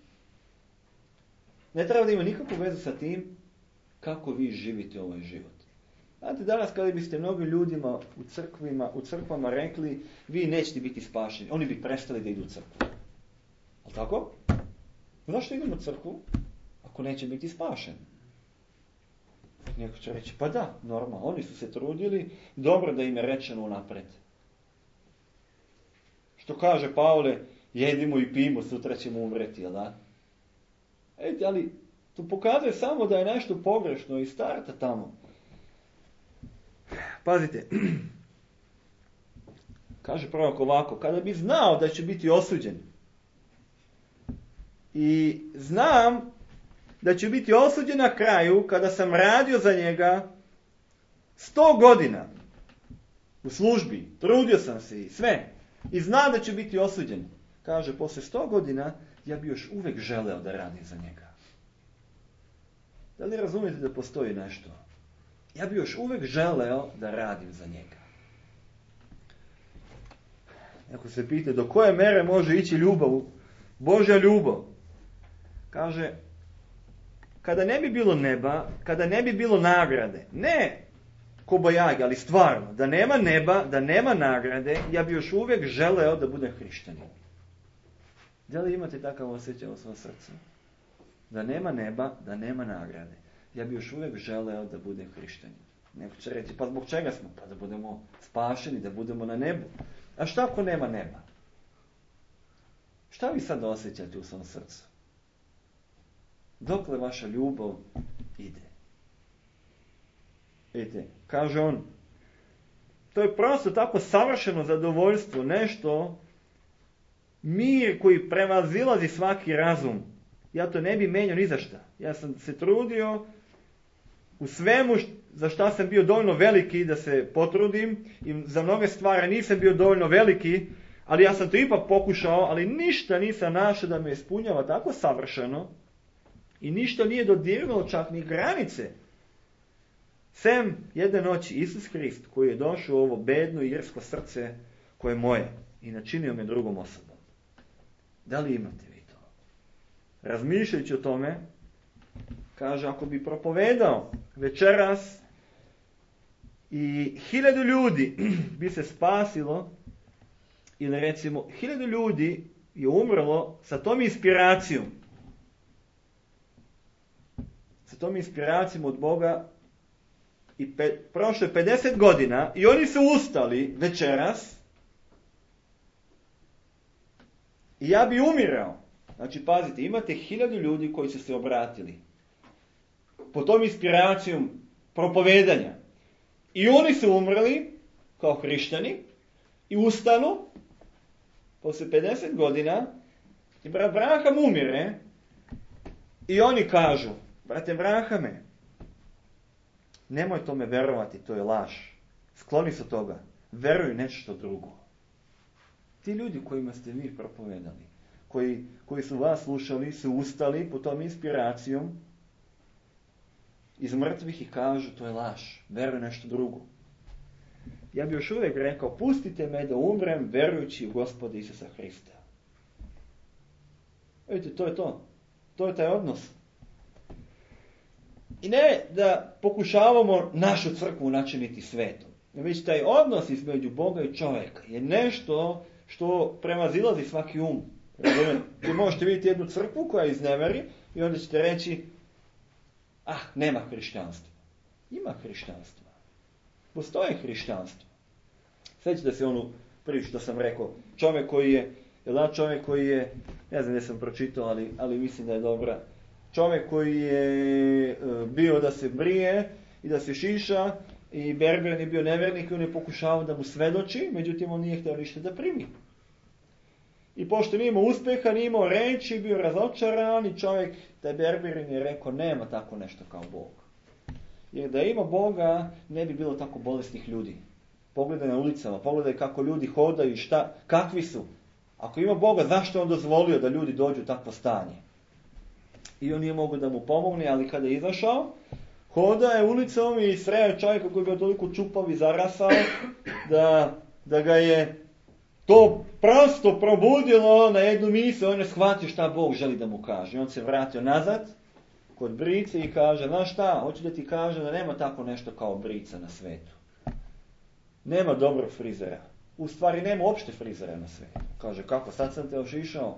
[SPEAKER 1] ne treba da ima nikakvu vezu sa tim kako vi živite ovaj život. Znate, danas kada biste mnogi ljudima u crkvima, u crkvama rekli, vi nećete biti spašeni, oni bi prestali da idu u crkvu. Ali tako? Zašto idemo u crkvu ako neće biti spašeni? Neko će reći, pa da, normalno, oni su se trudili, dobro da im je rečeno unapred. Što kaže Pavle, jedimo i pijemo, sutra ćemo umreti, jel da? Ejte, ali to pokazuje samo da je nešto pogrešno i starta tamo. Pazite, kaže prorok ovako, kada bi znao da će biti osuđen i znam da će biti osuđen na kraju kada sam radio za njega sto godina u službi, trudio sam se i sve i znam da će biti osuđen, kaže posle sto godina ja bi još uvijek želeo da radim za njega. Da li razumijete da postoji nešto? Ja bi još uvijek želeo da radim za njega. Ako se pita do koje mere može ići ljubav, Božja ljubav, kaže, kada ne bi bilo neba, kada ne bi bilo nagrade, ne kobajagi, ali stvarno, da nema neba, da nema nagrade, ja bi još uvijek želeo da budem hrišćanin. Da li imate takav osjećaj u svom srcu? Da nema neba, da nema nagrade. Ja bi još uvijek želeo da budem hrišćanin. Neko će reći, pa zbog čega smo? Pa da budemo spašeni, da budemo na nebu. A šta ako nema neba? Šta vi sad osjećate u svom srcu? Dokle vaša ljubav ide? Vidite, kaže on, to je prosto tako savršeno zadovoljstvo, nešto, mir koji prevazilazi svaki razum. Ja to ne bi menjao ni za šta. Ja sam se trudio u svemu za šta sam bio dovoljno veliki da se potrudim i za mnoge stvari nisam bio dovoljno veliki, ali ja sam to ipak pokušao, ali ništa nisam našao da me ispunjava tako savršeno i ništa nije dodirnulo čak ni granice. Sem jedne noći Isus Hrist koji je došao u ovo bedno i irsko srce koje je moje i načinio me drugom osobom. Da li imate vi to? Razmišljajući o tome, kaže, ako bi propovedao večeras i hiljadu ljudi bi se spasilo, ili recimo hiljadu ljudi je umrlo sa tom inspiracijom, sa tom inspiracijom od Boga i pe, prošlo je pedeset godina i oni su ustali večeras i ja bi umirao. Znači, pazite, imate hiljadu ljudi koji su se obratili po tom inspiracijom propovedanja. I oni su umrli kao hrišćani i ustanu posle pedeset godina i brat Branham umire i oni kažu, brate Branhame, nemoj tome verovati, to je laž. Skloni se toga. Veruj nešto drugo. Ti ljudi kojima ste vi propovedali, koji, koji su vas slušali, su ustali po tom inspiracijom iz mrtvih i kažu, to je laž. Veruj nešto drugo. Ja bih još uvijek rekao, pustite me da umrem verujući u Gospoda Isusa Hrista. Vidite, to je to. To je taj odnos. I ne da pokušavamo našu crkvu načiniti svetom. Već taj odnos između Boga i čovjeka je nešto što premazilazi svaki um. Vi možete vidjeti jednu crkvu koja izneveri i onda ćete reći, ah, nema hrišćanstva. Ima hrišćanstva. Postoje hrišćanstvo. Sjećate se onu priču što sam rekao. Čovjek koji je, je da čovjek koji je, ne znam gdje sam pročitao, ali, ali mislim da je dobra. Čovjek koji je bio da se brije i da se šiša i berber je bio nevjernik i on je pokušavao da mu svedoči, međutim on nije htio ništa da primi. I pošto nije imao uspjeha, nije imao reći, bio razočaran i čovjek, taj berberin je rekao, nema tako nešto kao Bog. Jer da ima Boga, ne bi bilo tako bolesnih ljudi. Pogledaj na ulicama, pogledaj kako ljudi hodaju i šta, kakvi su. Ako ima Boga, zašto je on dozvolio da ljudi dođu u takvo stanje? I on nije mogao da mu pomogne, ali kada je izašao, hoda je ulicom i sreo čovjeka koji je bio toliko čupav i zarasao, da, da ga je to prosto probudilo na jednu misao, on je shvatio šta Bog želi da mu kaže. I on se vratio nazad kod brice i kaže, znaš šta, hoću da ti kažem da nema tako nešto kao brica na svetu. Nema dobrog frizera. U stvari nema uopšte frizera na svetu. Kaže, kako, sad sam te ošišao?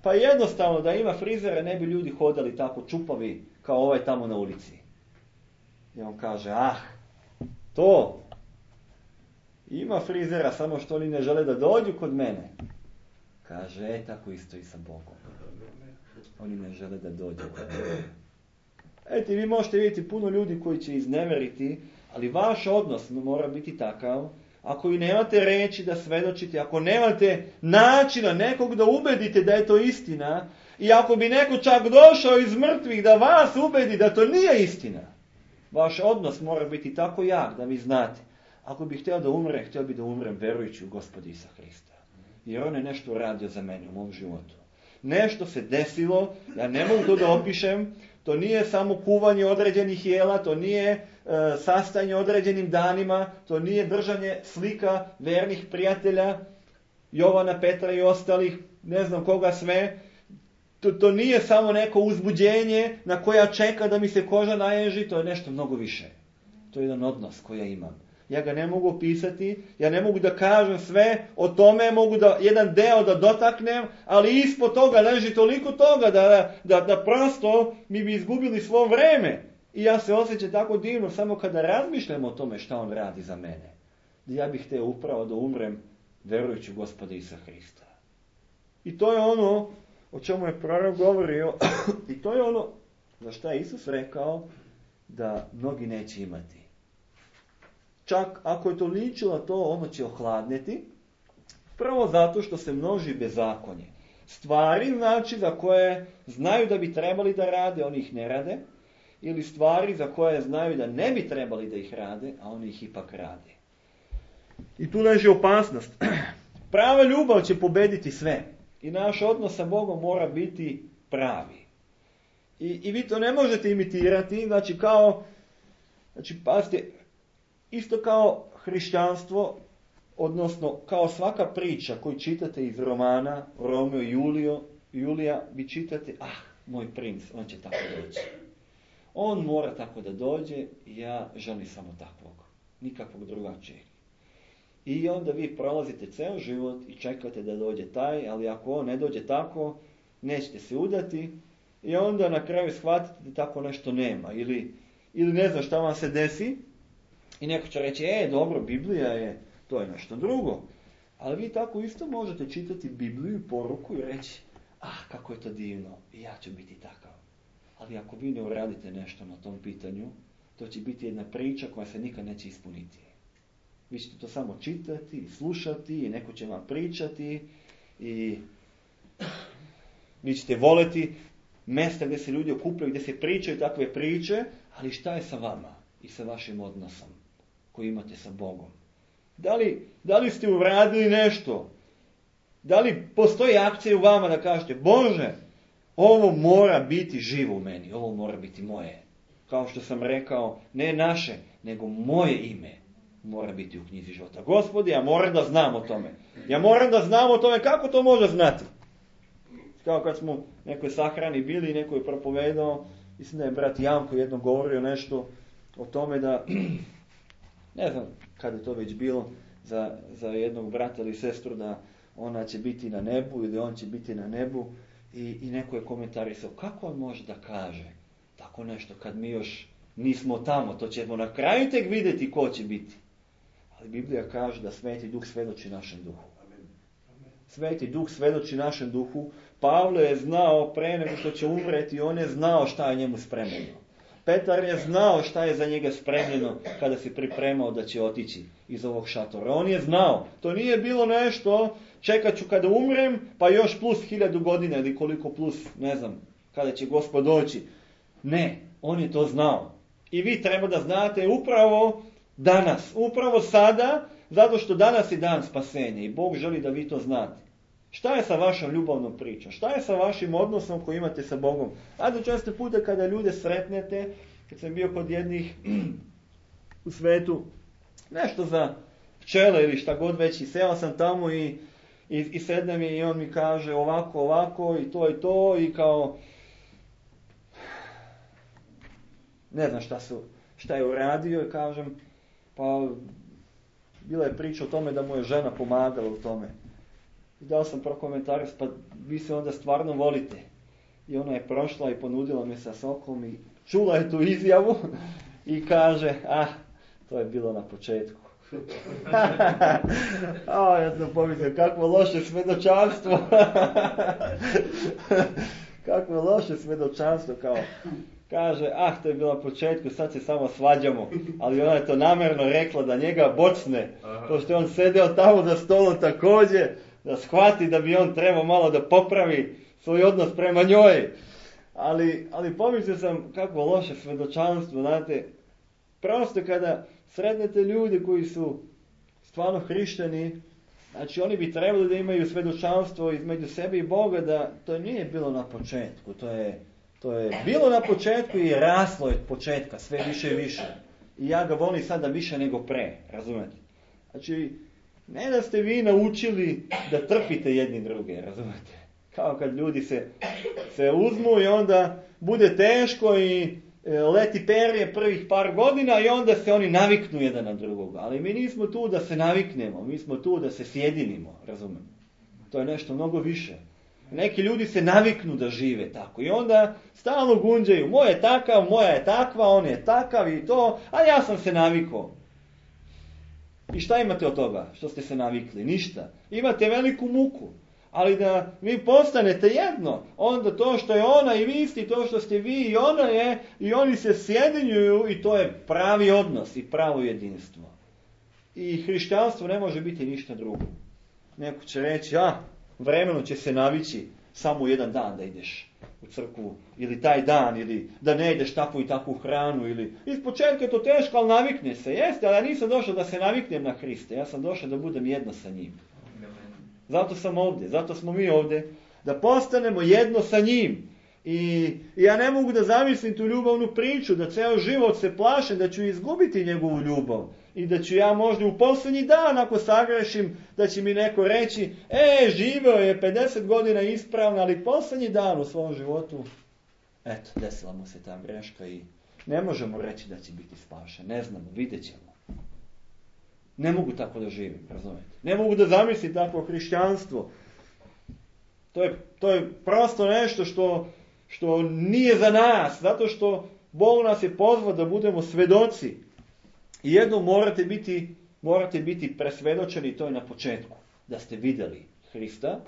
[SPEAKER 1] Pa jednostavno da ima frizera ne bi ljudi hodali tako čupavi kao ovaj tamo na ulici. I on kaže, ah, to, ima frizera, samo što oni ne žele da dođu kod mene. Kaže, e, tako isto i sa Bogom. Oni ne žele da dođu kod mene. Eti, vi možete vidjeti puno ljudi koji će izneveriti, ali vaš odnos mora biti takav. Ako i nemate reći da svedočite, ako nemate načina nekog da ubedite da je to istina, i ako bi neko čak došao iz mrtvih da vas ubedi da to nije istina, vaš odnos mora biti tako jak da vi znate. Ako bih htio da umrem, htio bih da umrem verujući u Gospoda Isusa Hrista. Jer on je nešto uradio za mene u mom životu. Nešto se desilo, ja ne mogu to da opišem, to nije samo kuvanje određenih jela, to nije e, sastajanje određenim danima, to nije držanje slika vernih prijatelja, Jovana, Petra i ostalih, ne znam koga sve. To, to nije samo neko uzbuđenje na koja čeka da mi se koža naježi, to je nešto mnogo više. To je jedan odnos koji ja imam. Ja ga ne mogu opisati, ja ne mogu da kažem sve o tome, mogu da jedan deo da dotaknem, ali ispod toga leži toliko toga da, da, da prosto mi bi izgubili svo vreme. I ja se osjećam tako divno samo kada razmišljam o tome šta on radi za mene. Ja bih htio upravo da umrem verujući u Gospoda Isusa Hrista. I to je ono o čemu je prorok govorio i to je ono za šta je Isus rekao da mnogi neće imati. Čak ako je to ličilo to, ono će ohladneti. Prvo zato što se množi bezakonje. Stvari, znači, za koje znaju da bi trebali da rade, oni ih ne rade. ili stvari za koje znaju da ne bi trebali da ih rade, a oni ih ipak rade. I tu leži opasnost. Prava ljubav će pobediti sve. I naš odnos sa Bogom mora biti pravi. I, i vi to ne možete imitirati, znači kao, znači pazite, isto kao hrišćanstvo, odnosno kao svaka priča koju čitate iz romana Romeo i Julio, Julija, vi čitate, ah, moj princ, on će tako doći. On mora tako da dođe i ja želim samo takvog, nikakvog drugačijeg. I onda vi prolazite ceo život i čekate da dođe taj, ali ako on ne dođe tako, nećete se udati i onda na kraju shvatite da tako nešto nema. Ili, ili ne znam šta vam se desi i neko će reći, e, dobro, Biblija je, to je nešto drugo. Ali vi tako isto možete čitati Bibliju i poruku i reći, ah, kako je to divno, i ja ću biti takav. Ali ako vi ne uradite nešto na tom pitanju, to će biti jedna priča koja se nikad neće ispuniti. Vi ćete to samo čitati i slušati i neko će vam pričati i vi ćete voleti mjesta gdje se ljudi okupljaju, gdje se pričaju takve priče, ali šta je sa vama i sa vašim odnosom koji imate sa Bogom? Da li, da li ste uradili nešto? Da li postoji akcija u vama da kažete, Bože, ovo mora biti živo u meni, ovo mora biti moje. Kao što sam rekao, ne naše, nego moje ime mora biti u knjizi života. Gospodi, ja moram da znam o tome. Ja moram da znam o tome, kako to može znati? Kao kad smo nekoj sahrani bili i neko je propovedao, mislim da je brat Janko jednom govorio nešto o tome da, ne znam kada je to već bilo, za, za jednog brata ili sestru da ona će biti na nebu ili on će biti na nebu i, i neko je komentarisao, kako on može da kaže tako nešto kad mi još nismo tamo, to ćemo na kraju tek vidjeti ko će biti. Ali Biblija kaže da Sveti Duh svedoči našem duhu. Sveti Duh svedoči našem duhu. Pavle je znao pre nego što će umreti, on je znao šta je njemu spremljeno. Petar je znao šta je za njega spremljeno kada se pripremao da će otići iz ovog šatora. On je znao. To nije bilo nešto, čekat ću kada umrem, pa još plus hiljadu godina ili koliko plus, ne znam, kada će Gospod doći. Ne, on je to znao. I vi treba da znate upravo danas, upravo sada, zato što danas je dan spasenja i Bog želi da vi to znate. Šta je sa vašom ljubavnom pričom? Šta je sa vašim odnosom koji imate sa Bogom? Ajde često puta kada ljude sretnete, kad sam bio kod jednih u svetu, nešto za pčele ili šta god već, i seo sam tamo i, i, i sednem i on mi kaže ovako, ovako i to i to i kao ne znam šta, su, šta je uradio i kažem, pa bila je priča o tome da mu je žena pomagala u tome. I dao sam prokomentaris, pa vi se onda stvarno volite. I ona je prošla i ponudila me sa sokom i čula je tu izjavu i kaže, ah, to je bilo na početku. A, ja sam pomislio, kakvo loše svedočanstvo. Kakvo loše svedočanstvo, kao, kaže, ah, to je bilo na početku, sad se samo svađamo. Ali ona je to namjerno rekla da njega bocne, pošto je on sedeo tamo za stolom također, da shvati da bi on trebao malo da popravi svoj odnos prema njoj. Ali, ali pomislio sam kakvo loše svedočanstvo, znate, prosto kada sretnete ljudi koji su stvarno hrišćani, znači oni bi trebali da imaju svedočanstvo između sebe i Boga, da to nije bilo na početku, to je, to je bilo na početku i raslo je od početka, sve više i više. I ja ga volim sada više nego pre, razumete? Znači, ne da ste vi naučili da trpite jedni druge, razumete? Kao kad ljudi se, se uzmu i onda bude teško i e, leti perje prvih par godina i onda se oni naviknu jedan na drugog. Ali mi nismo tu da se naviknemo, mi smo tu da se sjedinimo, razumete? To je nešto mnogo više. Neki ljudi se naviknu da žive tako i onda stalno gunđaju, moj je takav, moja je takva, on je takav i to, a ja sam se navikao. I šta imate od toga što ste se navikli? Ništa. Imate veliku muku. Ali da vi postanete jedno, onda to što je ona i vi ste, to što ste vi i ona je, i oni se sjedinjuju i to je pravi odnos i pravo jedinstvo. I hrišćanstvo ne može biti ništa drugo. Neko će reći, a, vremeno će se navići samo jedan dan da ideš u crkvu, ili taj dan, ili da ne jedeš takvu i takvu hranu, ili iz početka je to teško, ali navikne se. Jeste, ali ja nisam došao da se naviknem na Hrista, ja sam došao da budem jedno sa njim. Zato sam ovdje, zato smo mi ovdje, da postanemo jedno sa njim. I, i ja ne mogu da zamislim tu ljubavnu priču, da ceo život se plašem da ću izgubiti njegovu ljubav. I da ću ja možda u posljednji dan, ako sagrešim, da će mi neko reći, e, živeo je pedeset godina ispravno, ali posljednji dan u svom životu, eto, desila mu se ta greška i ne možemo reći da će biti spašen. Ne znamo, vidjet ćemo. Ne mogu tako da živim, razumete? Ne mogu da zamislim takvo hrišćanstvo. To je, to je prosto nešto što, što nije za nas, zato što Bog nas je pozvao da budemo svedoci. I jedno morate biti, morate biti presvedočeni, to je na početku. Da ste vidjeli Hrista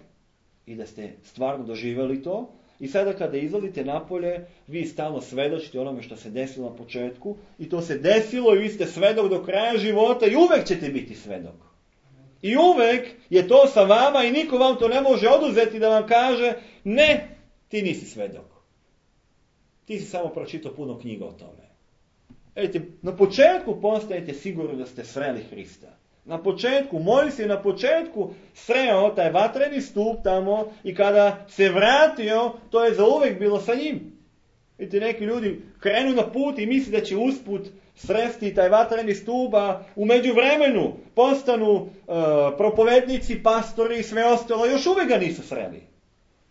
[SPEAKER 1] i da ste stvarno doživjeli to. I sada kada izlazite napolje, vi stalno svedočite onome što se desilo na početku. I to se desilo i vi ste svedok do kraja života i uvek ćete biti svedok. I uvek je to sa vama i niko vam to ne može oduzeti da vam kaže, ne, ti nisi svedok. Ti si samo pročitao puno knjiga o tome. Ejte, na početku postajete sigurni da ste sreli Hrista. Na početku, Mojsije je na početku sreo taj vatreni stup tamo i kada se vratio, to je zauvek bilo sa njim. Vidite, neki ljudi krenu na put i misle da će usput sresti taj vatreni stup, a u međuvremenu postanu uh, propovednici, pastori i sve ostalo, još uvek ga nisu sreli.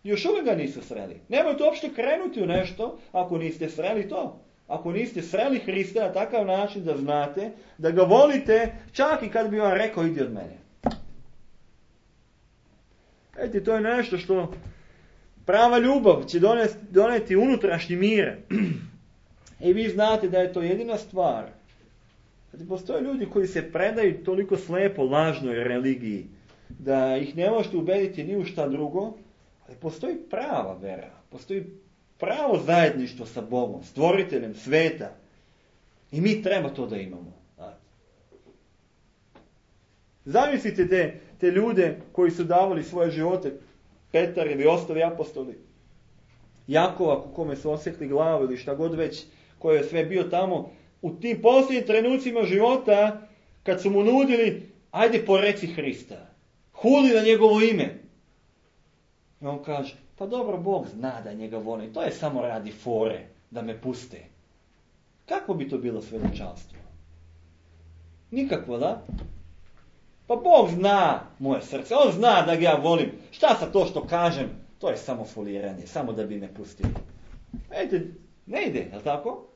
[SPEAKER 1] Još uvek ga nisu sreli. Nemojte uopšte krenuti u nešto ako niste sreli to. Ako niste sreli Hrista na takav način da znate, da ga volite, čak i kad bi vam rekao idi od mene. Eti, to je nešto što prava ljubav će doneti, doneti unutrašnji mir. I vi znate da je to jedina stvar. Eti, postoje ljudi koji se predaju toliko slepo lažnoj religiji, da ih ne možete ubediti ni u šta drugo, ali postoji prava vera, postoji pravo zajedništvo sa Bogom, stvoriteljem sveta. I mi treba to da imamo. Zamislite te, te ljude koji su davali svoje živote, Petar ili ostali apostoli, Jakova, kome su osjekli glavu ili šta god već, koji je sve bio tamo, u tim posljednjim trenucima života, kad su mu nudili, ajde poreci Hrista, huli na njegovo ime. I on kaže, pa dobro, Bog zna da njega volim, to je samo radi fore, da me puste. Kako bi to bilo svedočanstvo? Nikakvo, da? Pa Bog zna moje srce, on zna da ga ja volim. Šta sa to što kažem? To je samo foliranje, samo da bi me pustili. Vidite, ne ide, je li tako?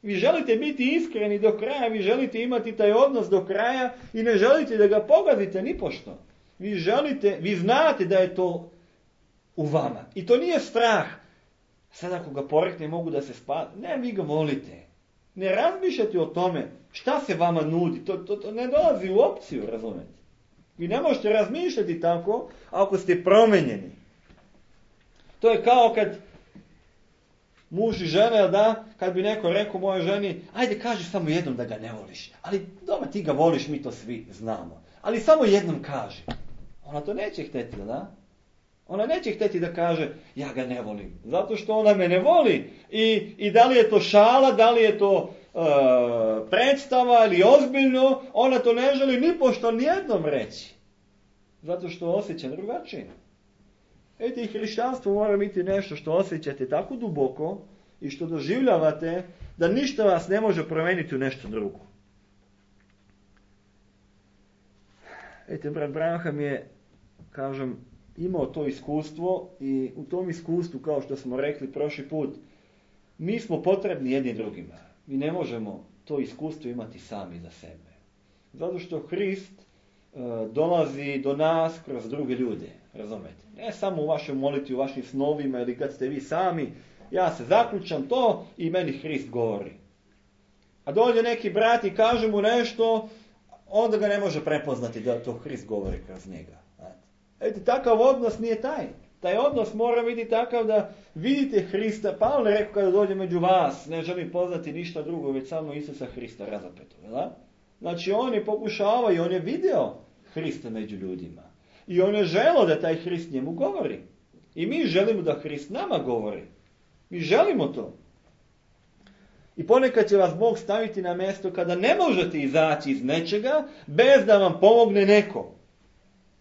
[SPEAKER 1] Vi želite biti iskreni do kraja, vi želite imati taj odnos do kraja i ne želite da ga pogazite nipošto. Vi želite, vi znate da je to u vama. I to nije strah. Sad ako ga porekne mogu da se spase. Ne, vi ga volite. Ne razmišljate o tome šta se vama nudi. To, to, to ne dolazi u opciju, razumete. Vi ne možete razmišljati tako ako ste promenjeni. To je kao kad muž i žena, da, kad bi neko rekao mojoj ženi, ajde kaži samo jednom da ga ne voliš. Ali doma ti ga voliš, mi to svi znamo. Ali samo jednom kaži. Ona to neće hteti, da? Ona neće hteti da kaže, ja ga ne volim. Zato što ona me ne voli. I, i da li je to šala, da li je to uh, predstava ili ozbiljno, ona to ne želi ni pošto nijednom reći. Zato što osjeća drugačije. Eti, i hrišćanstvo mora biti nešto što osjećate tako duboko i što doživljavate da ništa vas ne može promeniti u nešto drugo. Eti, brat Branham je, kažem, imao to iskustvo i u tom iskustvu, kao što smo rekli prošli put, mi smo potrebni jedni drugima. Mi ne možemo to iskustvo imati sami za sebe. Zato što Hrist e, dolazi do nas kroz druge ljude, razumete? Ne samo u vašoj molitvi, u vašim snovima ili kad ste vi sami, ja se zaključam to i meni Hrist govori. A dođe neki brat i kaže mu nešto, onda ga ne može prepoznati da to Hrist govori kroz njega. Eto, takav odnos nije taj. Taj odnos mora biti takav da vidite Hrista. Pavle je rekao kada dođe među vas, ne želim poznati ništa drugo, već samo Isusa Hrista razapetog. Da? Znači on je pokušavao i on je video Hrista među ljudima. I on je želeo da taj Hrist njemu govori. I mi želimo da Hrist nama govori. Mi želimo to. I ponekad će vas Bog staviti na mjesto kada ne možete izaći iz nečega bez da vam pomogne neko.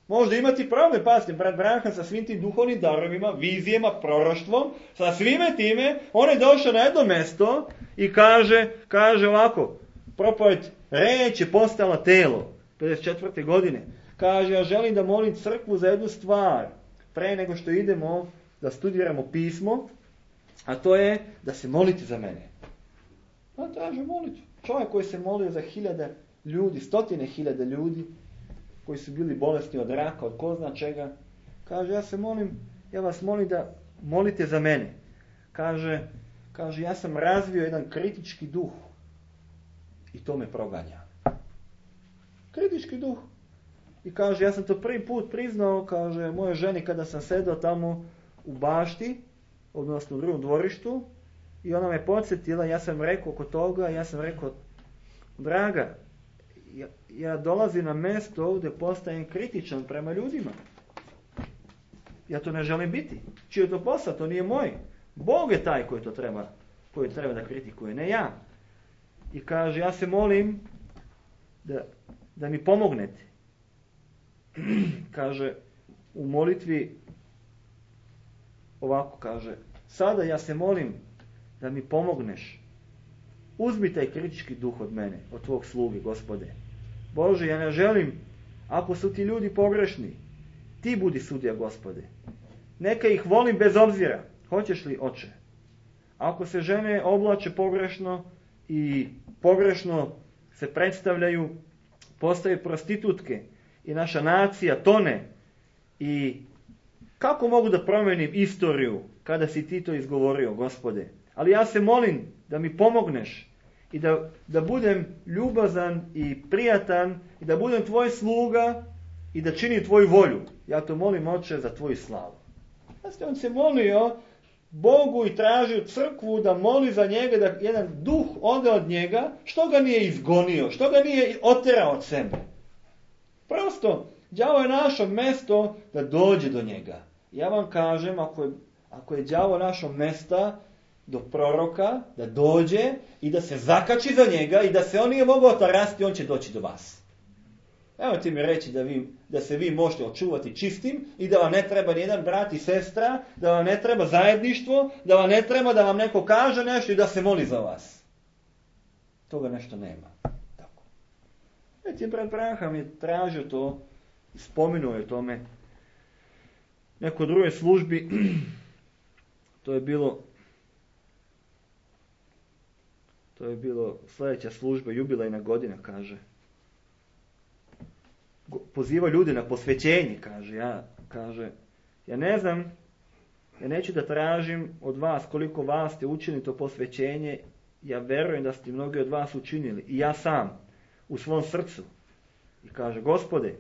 [SPEAKER 1] Možda imati problem, pazite, brat Branham sa svim tim duhovnim darovima, vizijama, proroštvom, sa svime time, on je došao na jedno mjesto i kaže, kaže ovako, propoved reč je postala telo, pedeset četvrte godine. Kaže, ja želim da molim crkvu za jednu stvar, pre nego što idemo da studiramo pismo, a to je da se molite za mene. A traže moliti. Čovjek koji se molio za hiljade ljudi, stotine hiljade ljudi, koji su bili bolesni od raka, od ko zna čega, kaže, ja se molim, ja vas molim da molite za mene. Kaže, kaže, ja sam razvio jedan kritički duh i to me proganja. Kritički duh. I kaže, ja sam to prvi put priznao, kaže, moje ženi kada sam sedao tamo u bašti, odnosno u drugom dvorištu, i ona me podsjetila, ja sam rekao oko toga, ja sam rekao, draga, ja, ja dolazim na mjesto ovdje, postajem kritičan prema ljudima. Ja to ne želim biti. Čiji je to posao, to nije moj. Bog je taj koji to treba, koji treba da kritikuje, ne ja. I kaže, ja se molim da, da mi pomognete. Kaže, u molitvi ovako kaže, sada ja se molim da mi pomogneš. Uzmi taj kritički duh od mene, od tvog sluge, Gospode. Bože, ja ne želim, ako su ti ljudi pogrešni, ti budi sudija, Gospode. Neka ih volim bez obzira. Hoćeš li, oče? Ako se žene oblače pogrešno i pogrešno se predstavljaju, postaju prostitutke i naša nacija tone, i kako mogu da promenim istoriju kada si ti to izgovorio, Gospode? Ali ja se molim da mi pomogneš i da, da budem ljubazan i prijatan i da budem tvoj sluga i da činim tvoju volju. Ja to molim, oče, za tvoju slavu. Znači, on se molio Bogu i tražio crkvu da moli za njega, da jedan duh ode od njega, što ga nije izgonio, što ga nije oterao od sebe. Prosto, đavo je našo mjesto da dođe do njega. Ja vam kažem, ako je, ako je đavo našo mjesta do proroka, da dođe i da se zakači za njega i da se on nije mogao tarasti, on će doći do vas. Evo ti mi reći da, vi, da se vi možete očuvati čistim i da vam ne treba nijedan brat i sestra, da vam ne treba zajedništvo, da vam ne treba da vam neko kaže nešto i da se moli za vas. Toga nešto nema. Tako. Eći, brat Branham je tražio to, spomenuo je tome. Neko druge službi, to je bilo to je bilo sljedeća služba, jubilejna godina, kaže. Poziva ljude na posvećenje, kaže. Ja, kaže, ja ne znam, ja neću da tražim od vas koliko vas ste učinili to posvećenje, ja verujem da ste mnogi od vas učinili, i ja sam, u svom srcu. I kaže, Gospode,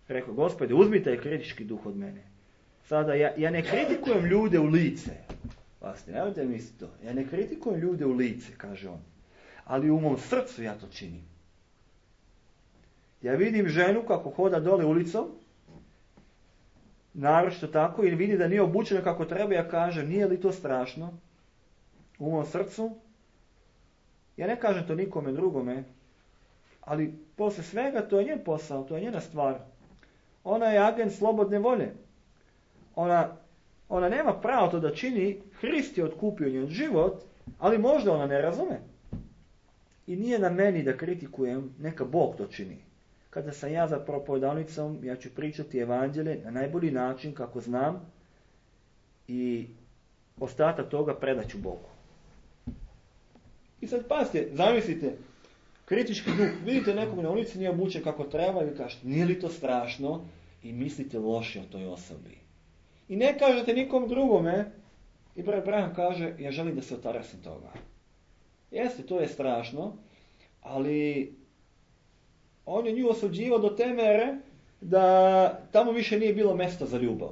[SPEAKER 1] rekao, Gospode, uzmi taj kritički duh od mene. Sada, ja, ja ne kritikujem ljude u lice. Vas ne nemojte misliti to. Ja ne kritikujem ljude u lice, kaže on. Ali u mom srcu ja to činim. Ja vidim ženu kako hoda dole ulicom, naročito tako, i vidi da nije obučena kako treba, ja kažem, nije li to strašno? U mom srcu. Ja ne kažem to nikome drugome, ali posle svega to je njen posao, to je njena stvar. Ona je agent slobodne volje. Ona, ona nema pravo to da čini, Hrist je otkupio njen život, ali možda ona ne razume. I nije na meni da kritikujem, neka Bog to čini. Kada sam ja za propovedalnicom, ja ću pričati evanđelje na najbolji način kako znam i ostatak toga predaću Bogu. I sad pazite, zamislite, kritički duh, vidite nekom na ulici nije obučen kako treba i vi kažete, nije li to strašno, i mislite loše o toj osobi. I ne kažete nikom drugome, i brat Branham kaže, ja želim da se otarasim toga. Jeste, to je strašno, ali on je nju osuđivao do te mere da tamo više nije bilo mjesta za ljubav.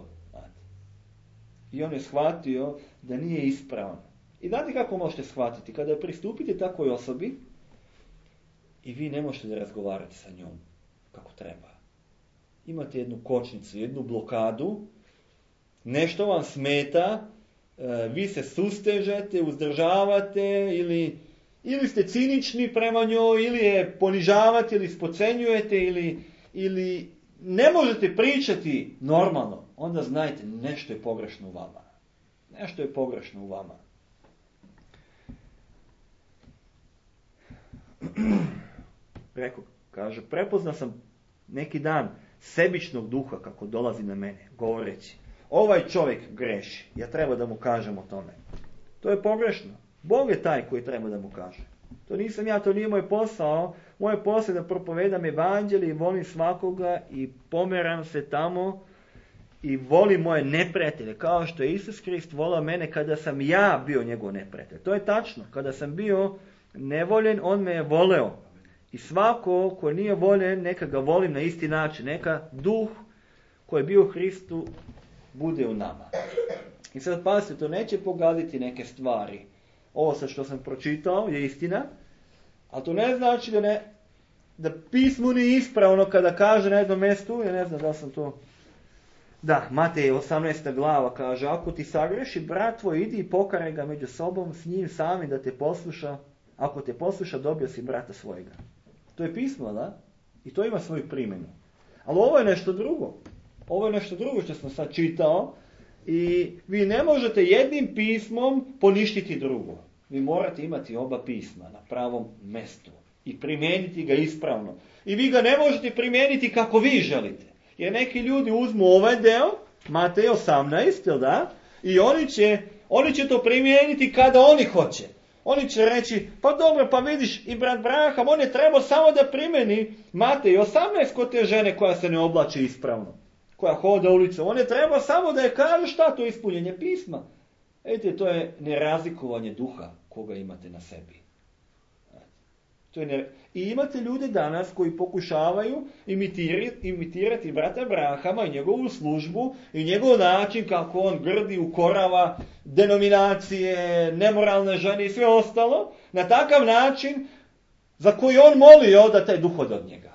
[SPEAKER 1] I on je shvatio da nije ispravan. I znate kako možete shvatiti? Kada pristupite takvoj osobi i vi ne možete da razgovarate sa njom kako treba. Imate jednu kočnicu, jednu blokadu, nešto vam smeta, vi se sustežete, uzdržavate ili, ili ste cinični prema njoj, ili je ponižavate ili spocenjujete ili, ili ne možete pričati normalno, onda znajte nešto je pogrešno u vama. Nešto je pogrešno u vama. Preko, kaže, prepoznao sam neki dan sebičnog duha kako dolazi na mene, govoreći, ovaj čovjek greši, ja treba da mu kažem o tome. To je pogrešno. Bog je taj koji treba da mu kaže. To nisam ja, to nije moj posao. Moj posao je da propovedam evanđelje i volim svakoga i pomeram se tamo i volim moje neprijatelje, kao što je Isus Krist volao mene kada sam ja bio njegov neprijatelj. To je tačno. Kada sam bio nevoljen, on me je voleo. I svako ko nije voljen, neka ga volim na isti način. Neka duh koji je bio u Hristu bude u nama. I sad pazite, to neće pogaditi neke stvari. Ovo sad što sam pročitao je istina, ali to ne znači da, ne, da pismo nije ispravno kada kaže na jednom mjestu, ja ne znam da sam to... Da, Matej osamnaesta glava kaže, ako ti sagreši brat tvoj, idi i pokaraj ga među sobom s njim samim da te posluša. Ako te posluša, dobio si brata svojega. To je pismo, da? I to ima svoju primjenu. Ali ovo je nešto drugo. Ovo je nešto drugo što sam sad čitao. I vi ne možete jednim pismom poništiti drugo. Vi morate imati oba pisma na pravom mjestu. I primijeniti ga ispravno. I vi ga ne možete primijeniti kako vi želite. Jer neki ljudi uzmu ovaj deo, Matej osamnaest, jel da? I oni će, oni će to primijeniti kada oni hoće. Oni će reći, pa dobro, pa vidiš, i brat Branham, on je trebao samo da primjeni Matej osamnaest kod te žene koja se ne oblači ispravno. Koja hoda ulicom. On je trebao samo da je kaže šta to je ispunjenje pisma. Vidite, to je nerazlikovanje duha koga imate na sebi. To je ne... I imate ljude danas koji pokušavaju imitirati, imitirati brata Brahama i njegovu službu i njegov način kako on grdi, ukorava denominacije, nemoralne žene i sve ostalo, na takav način za koji on molio da taj duh ode od njega.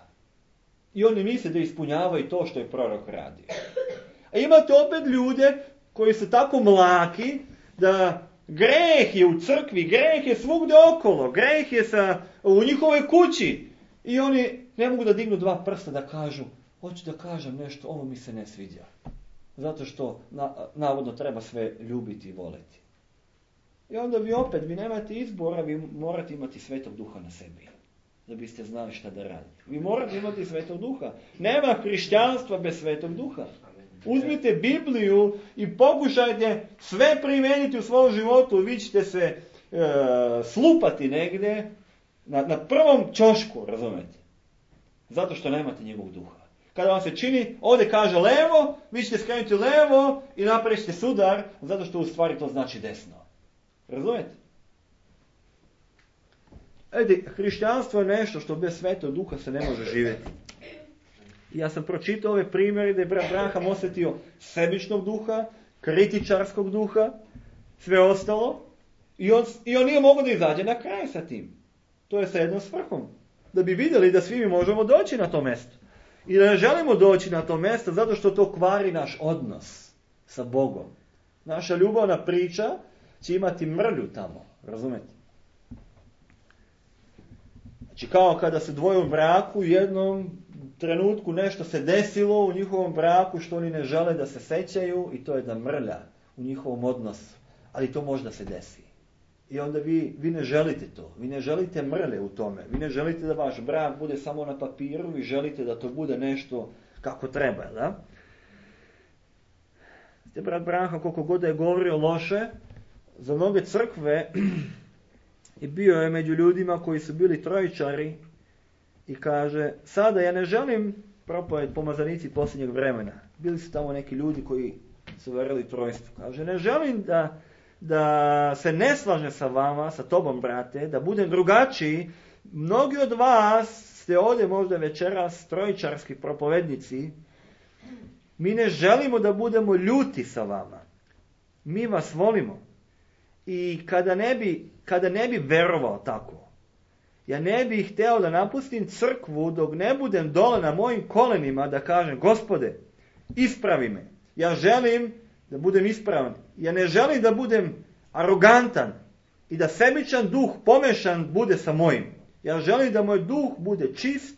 [SPEAKER 1] I oni misle da ispunjavaju to što je prorok radio. A imate opet ljude koji su tako mlaki da greh je u crkvi, greh je svugdje okolo, greh je sa, u njihovoj kući. I oni ne mogu da dignu dva prsta da kažu, hoću da kažem nešto, ovo mi se ne sviđa. Zato što na, navodno treba sve ljubiti i voleti. I onda vi opet, vi nemate izbora, vi morate imati Svetog Duha na sebi. Da biste znali šta da radite. Vi morate imati Svetog Duha. Nema hrišćanstva bez Svetog Duha. Uzmite Bibliju i pokušajte sve primijeniti u svom životu. Vi ćete se e, slupati negdje na, na prvom ćošku, razumete? Zato što nemate njegovog duha. Kada vam se čini, ovdje kaže levo, vi ćete skrenuti levo i napravit ćete sudar, zato što u stvari to znači desno. Razumete? Edi, hrišćanstvo je nešto što bez Svetog Duha se ne može živjeti. Ja sam pročitao ove primjere da je brat Branham osjetio sebičnog duha, kritičarskog duha, sve ostalo. I on, i on nije mogao da izađe na kraj sa tim. To je sa jednom svrhom. Da bi vidjeli da svi mi možemo doći na to mjesto. I da ne želimo doći na to mjesto zato što to kvari naš odnos sa Bogom. Naša ljubavna priča će imati mrlju tamo. Razumete? Znači kao kada se dvoje u braku, u jednom trenutku nešto se desilo u njihovom braku što oni ne žele da se sećaju i to je da mrlja u njihovom odnosu. Ali to možda se desi. I onda vi, vi ne želite to. Vi ne želite mrlje u tome. Vi ne želite da vaš brak bude samo na papiru. Vi želite da to bude nešto kako treba. Da? Ste brat Branham koliko god je govorio loše, za mnoge crkve i bio je među ljudima koji su bili trojičari i kaže, sada ja ne želim propoved pomazanici posljednjeg vremena. Bili su tamo neki ljudi koji su vjerili trojstvu. Kaže, ne želim da, da se ne slažem sa vama, sa tobom, brate, da budem drugačiji. Mnogi od vas ste ovdje možda večeras trojičarski propovednici. Mi ne želimo da budemo ljuti sa vama. Mi vas volimo. I kada ne bi, kada ne bi verovao tako, ja ne bih hteo da napustim crkvu dok ne budem dole na mojim kolenima da kažem, Gospode, ispravi me. Ja želim da budem ispravan. Ja ne želim da budem arogantan i da sebičan duh pomešan bude sa mojim. Ja želim da moj duh bude čist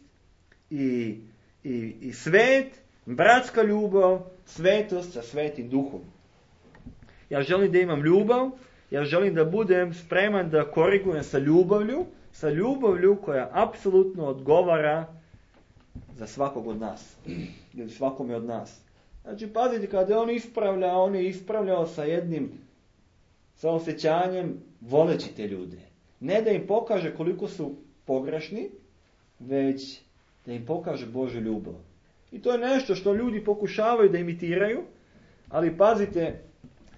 [SPEAKER 1] i, i, i svet, bratska ljubav, svetost sa svetim duhom. Ja želim da imam ljubav, ja želim da budem spreman da korigujem sa ljubavlju, sa ljubavlju koja apsolutno odgovara za svakog od nas. Ili svakome od nas. Znači, pazite, kada on ispravlja, on je ispravljao sa jednim, sa osjećanjem voleći te ljude. Ne da im pokaže koliko su pogrešni, već da im pokaže Božju ljubav. I to je nešto što ljudi pokušavaju da imitiraju, ali pazite,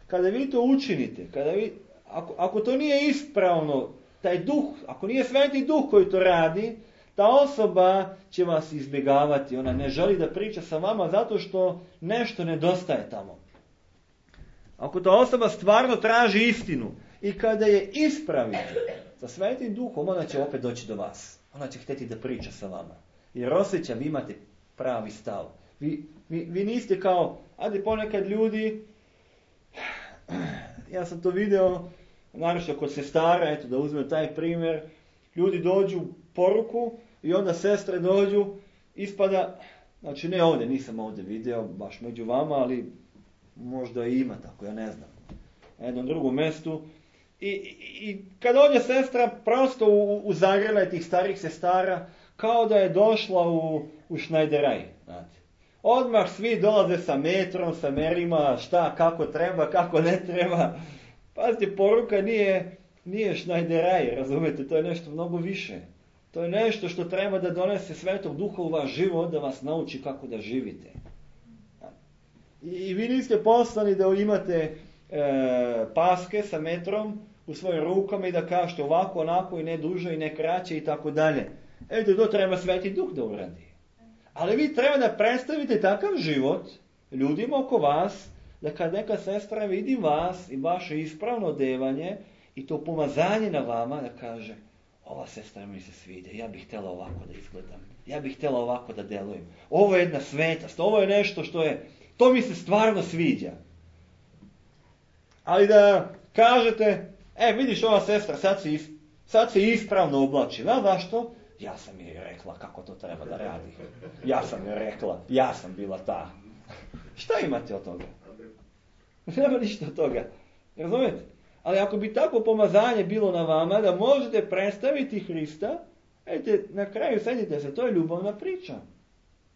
[SPEAKER 1] kada vi to učinite, kada vi, ako, ako to nije ispravno, taj duh, ako nije sveti duh koji to radi, ta osoba će vas izbjegavati. Ona ne želi da priča sa vama zato što nešto nedostaje tamo. Ako ta osoba stvarno traži istinu i kada je ispravite sa svetim duhom, ona će opet doći do vas. Ona će htjeti da priča sa vama. Jer osjeća, vi imate pravi stav. Vi, vi, vi niste kao, ajde ponekad ljudi, ja sam to video, naravno kod sestara, eto da uzmem taj primjer, ljudi dođu poruku i onda sestre dođu, ispada, znači ne ovdje, nisam ovdje video, baš među vama, ali možda i ima tako, ja ne znam, na jednom drugom mjestu. I, i, i kad ovdje sestra prosto u, u zagrela tih starih sestara, kao da je došla u, u Šnajderaj, znate. Odmah svi dolaze sa metrom, sa merima, šta, kako treba, kako ne treba. Pazite, poruka nije, nije Šnajderaj, razumijete, to je nešto mnogo više. To je nešto što treba da donese Svetog Duha u vaš život, da vas nauči kako da živite. I, i vi niste poslani da imate e, paske sa metrom u svojim rukama i da kažete ovako, onako i ne duže i ne kraće i tako dalje. Eto, to treba Sveti Duh da uradi. Ali vi treba da predstavite takav život ljudima oko vas, da kad neka sestra vidi vas i vaše ispravno odevanje i to pomazanje na vama, da kaže, ova sestra mi se svide, ja bih htjela ovako da izgledam, ja bih htjela ovako da delujem. Ovo je jedna svetost, ovo je nešto što je, to mi se stvarno sviđa. Ali da kažete, e vidiš ova sestra, sad se, is, sad se ispravno oblači, da zašto? Ja sam joj rekla kako to treba da radi. Ja sam joj rekla, ja sam bila ta. Šta imate od toga? Nema ništa od toga. Razumijete? Ali ako bi tako pomazanje bilo na vama, da možete predstaviti Hrista, ejte, na kraju sedite se, to je ljubavna priča.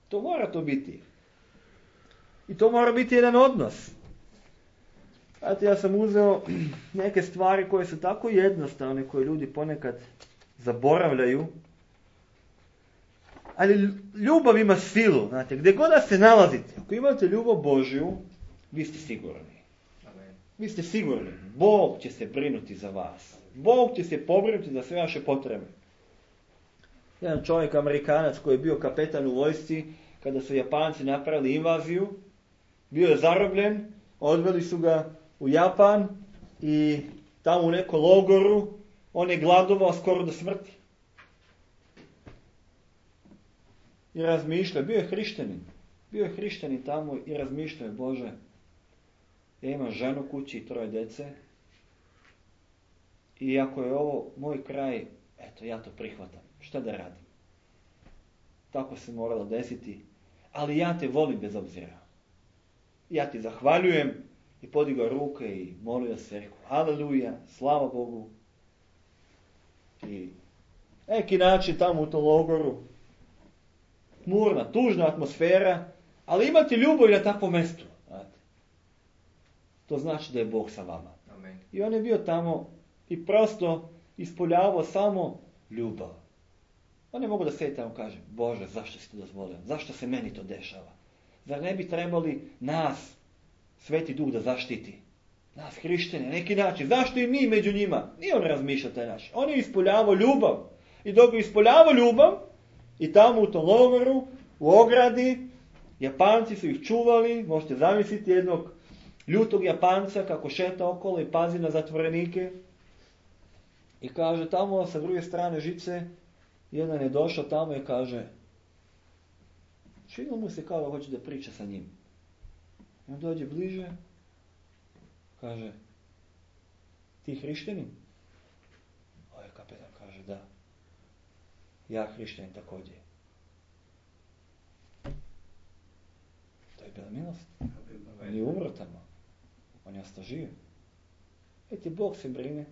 [SPEAKER 1] To mora to biti. I to mora biti jedan odnos. Znate, ja sam uzeo neke stvari koje su tako jednostavne, koje ljudi ponekad zaboravljaju. Ali ljubav ima silu, znate, gdje god da se nalazite, ako imate ljubav Božju, vi ste sigurni. Amen. Vi ste sigurni. Bog će se brinuti za vas. Bog će se pobrinuti za sve vaše potrebe. Jedan čovjek, Amerikanac, koji je bio kapetan u vojsci, kada su Japanci napravili invaziju, bio je zarobljen, odveli su ga u Japan i tamo u nekom logoru, on je gladovao skoro do smrti. I razmišljao, bio je hrišćanin. Bio je hrišćanin tamo i razmišljao je, Bože, ja imam ženu kući i troje djece i ako je ovo moj kraj, eto, ja to prihvatam. Šta da radim? Tako se moralo desiti, ali ja te volim bez obzira. Ja ti zahvaljujem i podigao ruke i molio se, rekao, aleluja, slava Bogu. I neki način tamo u tom logoru, tmurna, tužna atmosfera, ali imate ljubav na takvom mjestu. Znate. To znači da je Bog sa vama. Amen. I on je bio tamo i prosto ispoljavao samo ljubav. On ne mogu da sjeti tamo kaže, Bože, zašto si to dozvolio? Zašto se meni to dešava? Zar ne bi trebali nas, Sveti Duh, da zaštiti? Nas, hrišćane, na neki način. Zašto i mi među njima? Nije on razmišljao taj naš. On je ispoljavao ljubav. I dok je ispoljavao ljubav, i tamo u tom logoru, u ogradi, Japanci su ih čuvali, možete zamisliti jednog ljutog Japanca kako šeta okolo i pazi na zatvorenike. I kaže, tamo sa druge strane žice, jedan je došao tamo i kaže, činilo mu se kao da hoće da priča sa njim. I on dođe bliže Kaže, ti hrišćanin? Ovaj kapetan kaže, da. Ja hrišćanin također. To je bila milost. On je umro tamo. On je ostao živ. Eti, Bog se brine.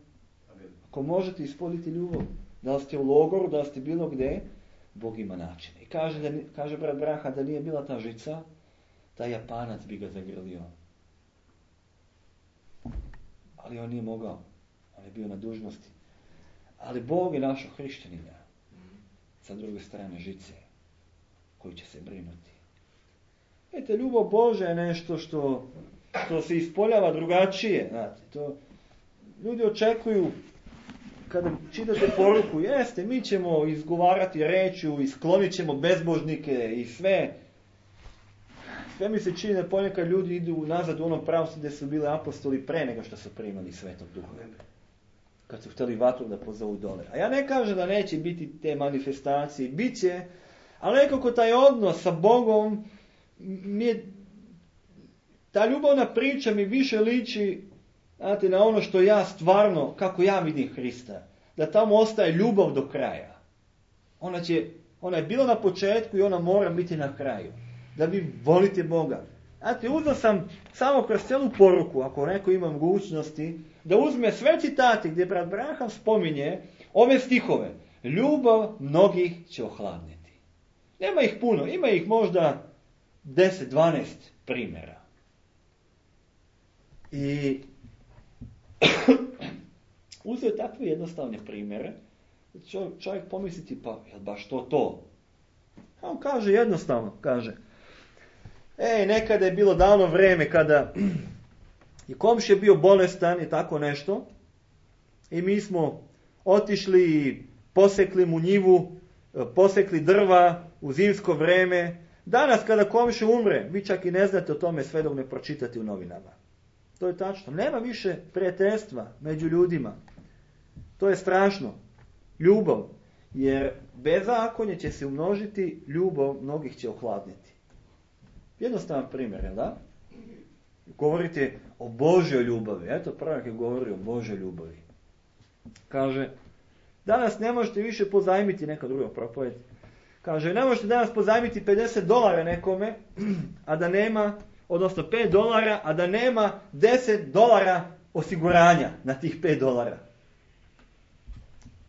[SPEAKER 1] Ako možete ispoditi ljubav, da li ste u logoru, da li ste bilo gdje, Bog ima načine. I kaže, da, kaže brat Braha, da nije bila ta žica, taj Japanac bi ga zagrlio. Ali on nije mogao. On je bio na dužnosti. Ali Bog je našao hrišćanina sa druge strane žice koji će se brinuti. Ete, ljubav Božja je nešto što, što se ispoljava drugačije. Znate, to ljudi očekuju kada čitate poruku, jeste, mi ćemo izgovarati rečju i sklonit ćemo bezbožnike i sve. Sve mi se čini da ponekad ljudi idu nazad u onom pravcu gdje su bili apostoli pre nego što su primali Svetog Duha. Kad su htjeli vatru da pozovu dole. A ja ne kažem da neće biti te manifestacije, bit će, ali nekako taj odnos sa Bogom, mi je, ta ljubavna priča mi više liči, znate, na ono što ja stvarno, kako ja vidim Hrista. Da tamo ostaje ljubav do kraja. Ona, će, ona je bila na početku i ona mora biti na kraju. Da vi volite Boga. Znate, uzeo sam samo kroz cijelu poruku, ako neko ima mogućnosti, da uzme sve citate gdje brat Braham spominje ove stihove. Ljubav mnogih će ohladniti. Nema ih puno, ima ih možda deset dvanaest primjera. I uzeo takve jednostavne primjere, čovjek pomisliti, pa jel baš to to? A on kaže jednostavno, kaže, ej, nekada je bilo davno vrijeme kada je komšija bio bolestan i tako nešto, i mi smo otišli i posekli mu njivu, posekli drva u zimsko vrijeme. Danas kada komšija umre, vi čak i ne znate o tome sve dok ne pročitate u novinama. To je tačno. Nema više prijateljstva među ljudima. To je strašno. Ljubav. Jer bezakonje će se umnožiti, ljubav mnogih će ohladniti. Jednostavan primjer, jel da? Govorite o Božjoj ljubavi. Eto, prorok je govori o Božjoj ljubavi. Kaže, danas ne možete više pozajmiti, neka druga propoved. Kaže, ne možete danas pozajmiti pedeset dolara nekome, a da nema, odnosno pet dolara, a da nema deset dolara osiguranja na tih pet dolara.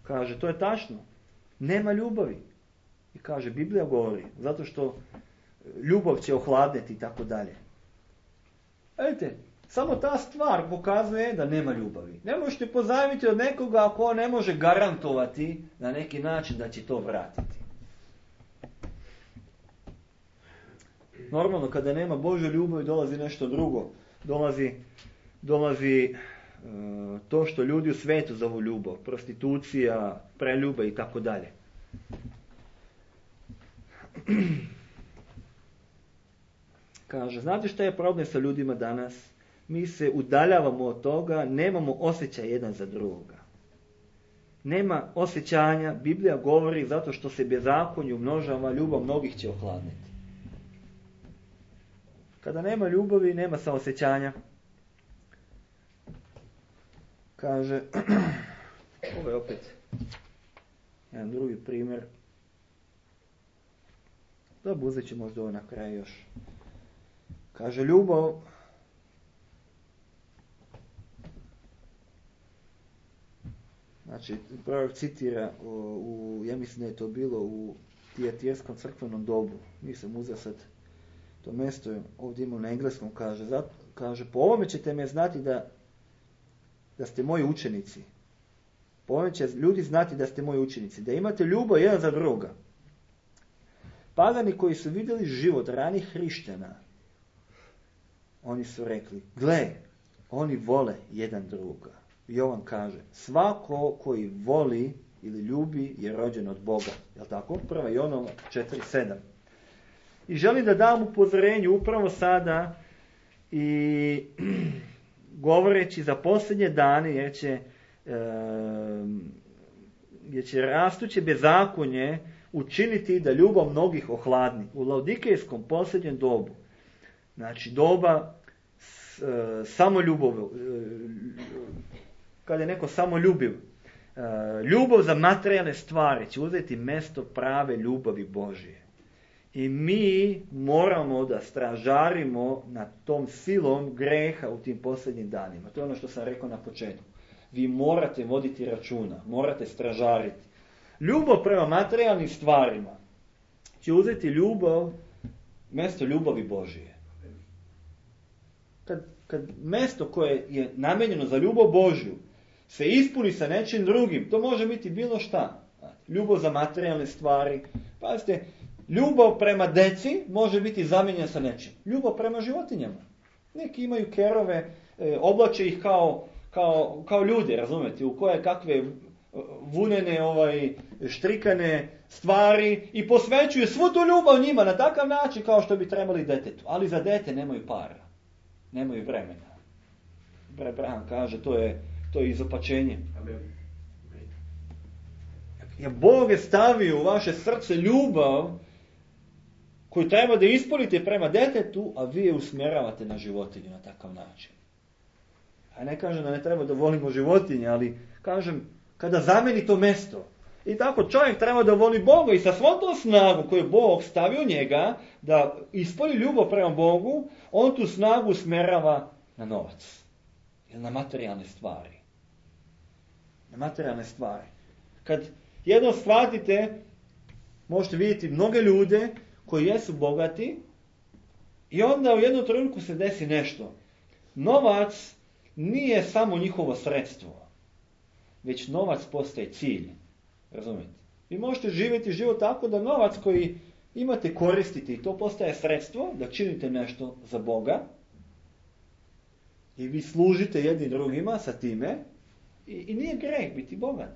[SPEAKER 1] Kaže, to je tačno. Nema ljubavi. I kaže, Biblija govori, zato što ljubav će ohladniti i tako dalje. Vidite, samo ta stvar pokazuje da nema ljubavi. Ne možete pozajmiti od nekoga ako on ne može garantovati na neki način da će to vratiti. Normalno, kada nema Božje ljubavi, dolazi nešto drugo. Dolazi, dolazi uh, to što ljudi u svijetu zovu ljubav. Prostitucija, preljuba i tako dalje. Kaže, znate šta je problem sa ljudima danas? Mi se udaljavamo od toga, nemamo osjećaj jedan za drugoga. Nema osjećanja, Biblija govori, zato što se bezakonje umnožava, ljubav mnogih će ohladniti. Kada nema ljubavi, nema saosjećanja. Kaže, ovo je opet jedan drugi primjer. Dobro, uzet ću možda ovo na kraju još. Kaže, ljubav znači, prorok citira u, u, ja mislim da je to bilo u Tijatirskom crkvenom dobu. Nisam uzeo sad to mjesto, ovdje imam na engleskom, kaže, zato, kaže, po ovome ćete me znati da, da ste moji učenici. Po ovome će ljudi znati da ste moji učenici, da imate ljubav jedan za druga. Pagani koji su vidjeli život ranih hrišćana, oni su rekli, gle, oni vole jedan druga. Jovan kaže, svako koji voli ili ljubi je rođen od Boga. Jel tako? Prva Jonova četiri sedam. I želim da dam upozorenje upravo sada i govoreći za posljednje dane, jer će, e, jer će rastuće bezakonje učiniti da ljubav mnogih ohladni. U laodikejskom posljednjem dobu, znači doba samoljubav, kada je neko samoljubiv, ljubav za materijalne stvari će uzeti mjesto prave ljubavi Božije. I mi moramo da stražarimo nad tom silom greha u tim posljednjim danima. To je ono što sam rekao na početku. Vi morate voditi računa, morate stražariti. Ljubav prema materijalnim stvarima će uzeti ljubav, mjesto ljubavi Božije. Kad, kad mjesto koje je namijenjeno za ljubav Božju se ispuni sa nečim drugim, to može biti bilo šta. Ljubav za materijalne stvari. Pazite, ljubav prema deci može biti zamijenjena sa nečim. Ljubav prema životinjama. Neki imaju kerove, e, oblače ih kao, kao, kao ljude, razumijete, u koje kakve vunene, ovaj, štrikane stvari i posvećuju svu tu ljubav njima na takav način kao što bi trebali detetu. Ali za dete nemaju para. Nemaju vremena. Abraham kaže, to je, to je izopačenje. Jer Bog je stavio u vaše srce ljubav koju treba da ispunite prema detetu, a vi je usmjeravate na životinju na takav način. A ne kažem da ne treba da volimo životinje, ali kažem, kada zameni to mesto. I tako čovjek treba da voli Boga i sa svom tom snagom koju je Bog stavio njega da ispolji ljubav prema Bogu, on tu snagu usmjerava na novac. Ili na materijalne stvari. Na materijalne stvari. Kad jedno shvatite, možete vidjeti mnoge ljude koji jesu bogati i onda u jednom trenutku se desi nešto. Novac nije samo njihovo sredstvo, već novac postaje cilj. Razumijete? Vi možete živjeti život tako da novac koji imate koristiti i to postaje sredstvo da činite nešto za Boga i vi služite jedni drugima sa time i, i nije greh biti bogat.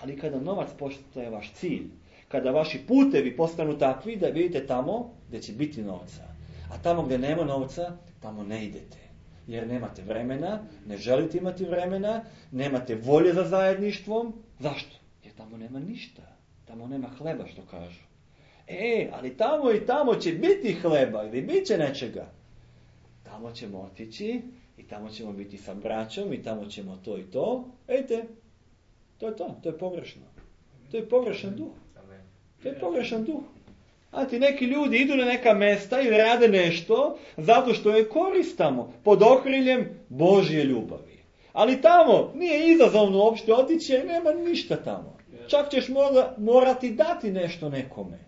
[SPEAKER 1] Ali kada novac postaje vaš cilj, kada vaši putevi postanu takvi da vidite tamo gdje će biti novca, a tamo gdje nema novca, tamo ne idete. Jer nemate vremena, ne želite imati vremena, nemate volje za zajedništvom. Zašto? Jer tamo nema ništa. Tamo nema hleba, što kažu. E, ali tamo i tamo će biti hleba ili bit će nečega. Tamo ćemo otići i tamo ćemo biti sa braćom i tamo ćemo to i to. Ejte, to je to, to je pogrešno. To je pogrešan duh. To je pogrešan duh. A ti neki ljudi idu na neka mjesta i rade nešto zato što je korist tamo, pod okriljem Božje ljubavi. Ali tamo nije izazovno uopšte otići jer nema ništa tamo. Čak ćeš možda morati dati nešto nekome.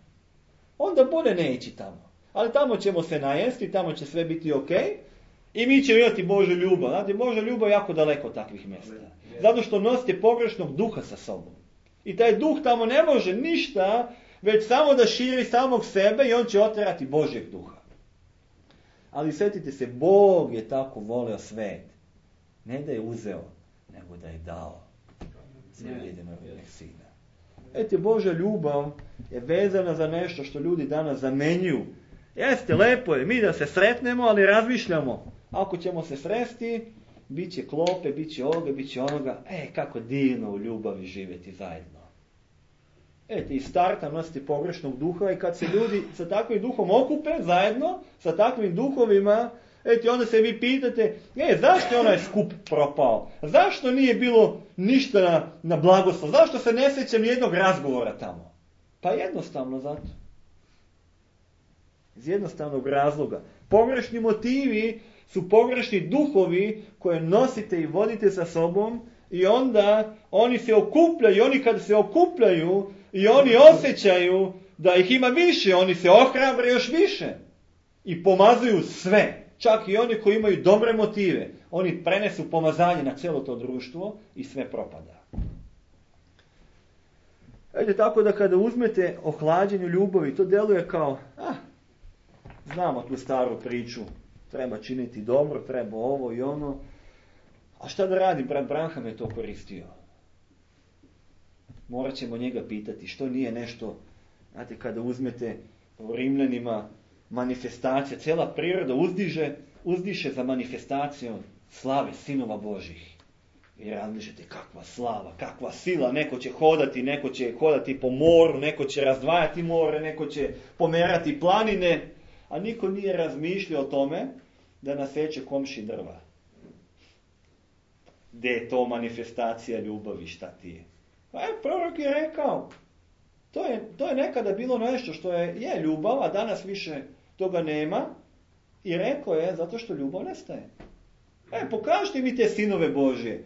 [SPEAKER 1] Onda bolje ne ići tamo. Ali tamo ćemo se najesti, tamo će sve biti ok i mi ćemo imati Božju ljubav. Znate, Božja ljubav je jako daleko od takvih mjesta. Zato što nosite pogrešnog duha sa sobom. I taj duh tamo ne može ništa, već samo da širi samog sebe i on će otjerati Božjeg duha. Ali sjetite se, Bog je tako volio svet. Ne da je uzeo, nego da je dao svojeg jedinorodnog sina. Ete, Božja ljubav je vezana za nešto što ljudi danas zamenjuju. Jeste, lepo je mi da se sretnemo, ali razmišljamo. Ako ćemo se sresti, bit će klope, bit će ovoga, bit će onoga. E, kako divno u ljubavi živjeti zajedno. Ete, i starta nositi pogrešnog duha i kad se ljudi sa takvim duhom okupe zajedno, sa takvim duhovima, eti onda se vi pitate, e, zašto je onaj skup propao? Zašto nije bilo ništa na, na blagoslov? Zašto se ne sjećam nijednog razgovora tamo? Pa jednostavno zato. Iz jednostavnog razloga. Pogrešni motivi su pogrešni duhovi koje nosite i vodite sa sobom i onda oni se okupljaju i oni kad se okupljaju i oni osjećaju da ih ima više, oni se ohrabre još više i pomazuju sve. Čak i oni koji imaju dobre motive, oni prenesu pomazanje na cijelo to društvo i sve propada. Ede, tako da kada uzmete o hlađenju ljubavi, to djeluje kao, ah, znamo tu staru priču, treba činiti dobro, treba ovo i ono. A šta da radi, brat Branham je to koristio. Morat ćemo njega pitati što nije nešto, znate, kada uzmete u Rimljanima manifestacija, cijela priroda uzdiže, uzdiše za manifestacijom slave sinova Božih. I razmišljate kakva slava, kakva sila, neko će hodati, neko će hodati po moru, neko će razdvajati more, neko će pomerati planine, a niko nije razmišljao o tome da naseče komši drva. Gde je to manifestacija ljubavi, šta ti je? Pa je, prorok je rekao, to je, to je nekada bilo nešto što je, je ljubav, a danas više toga nema. I rekao je, zato što ljubav nestaje. E, pokažite mi te sinove Božje.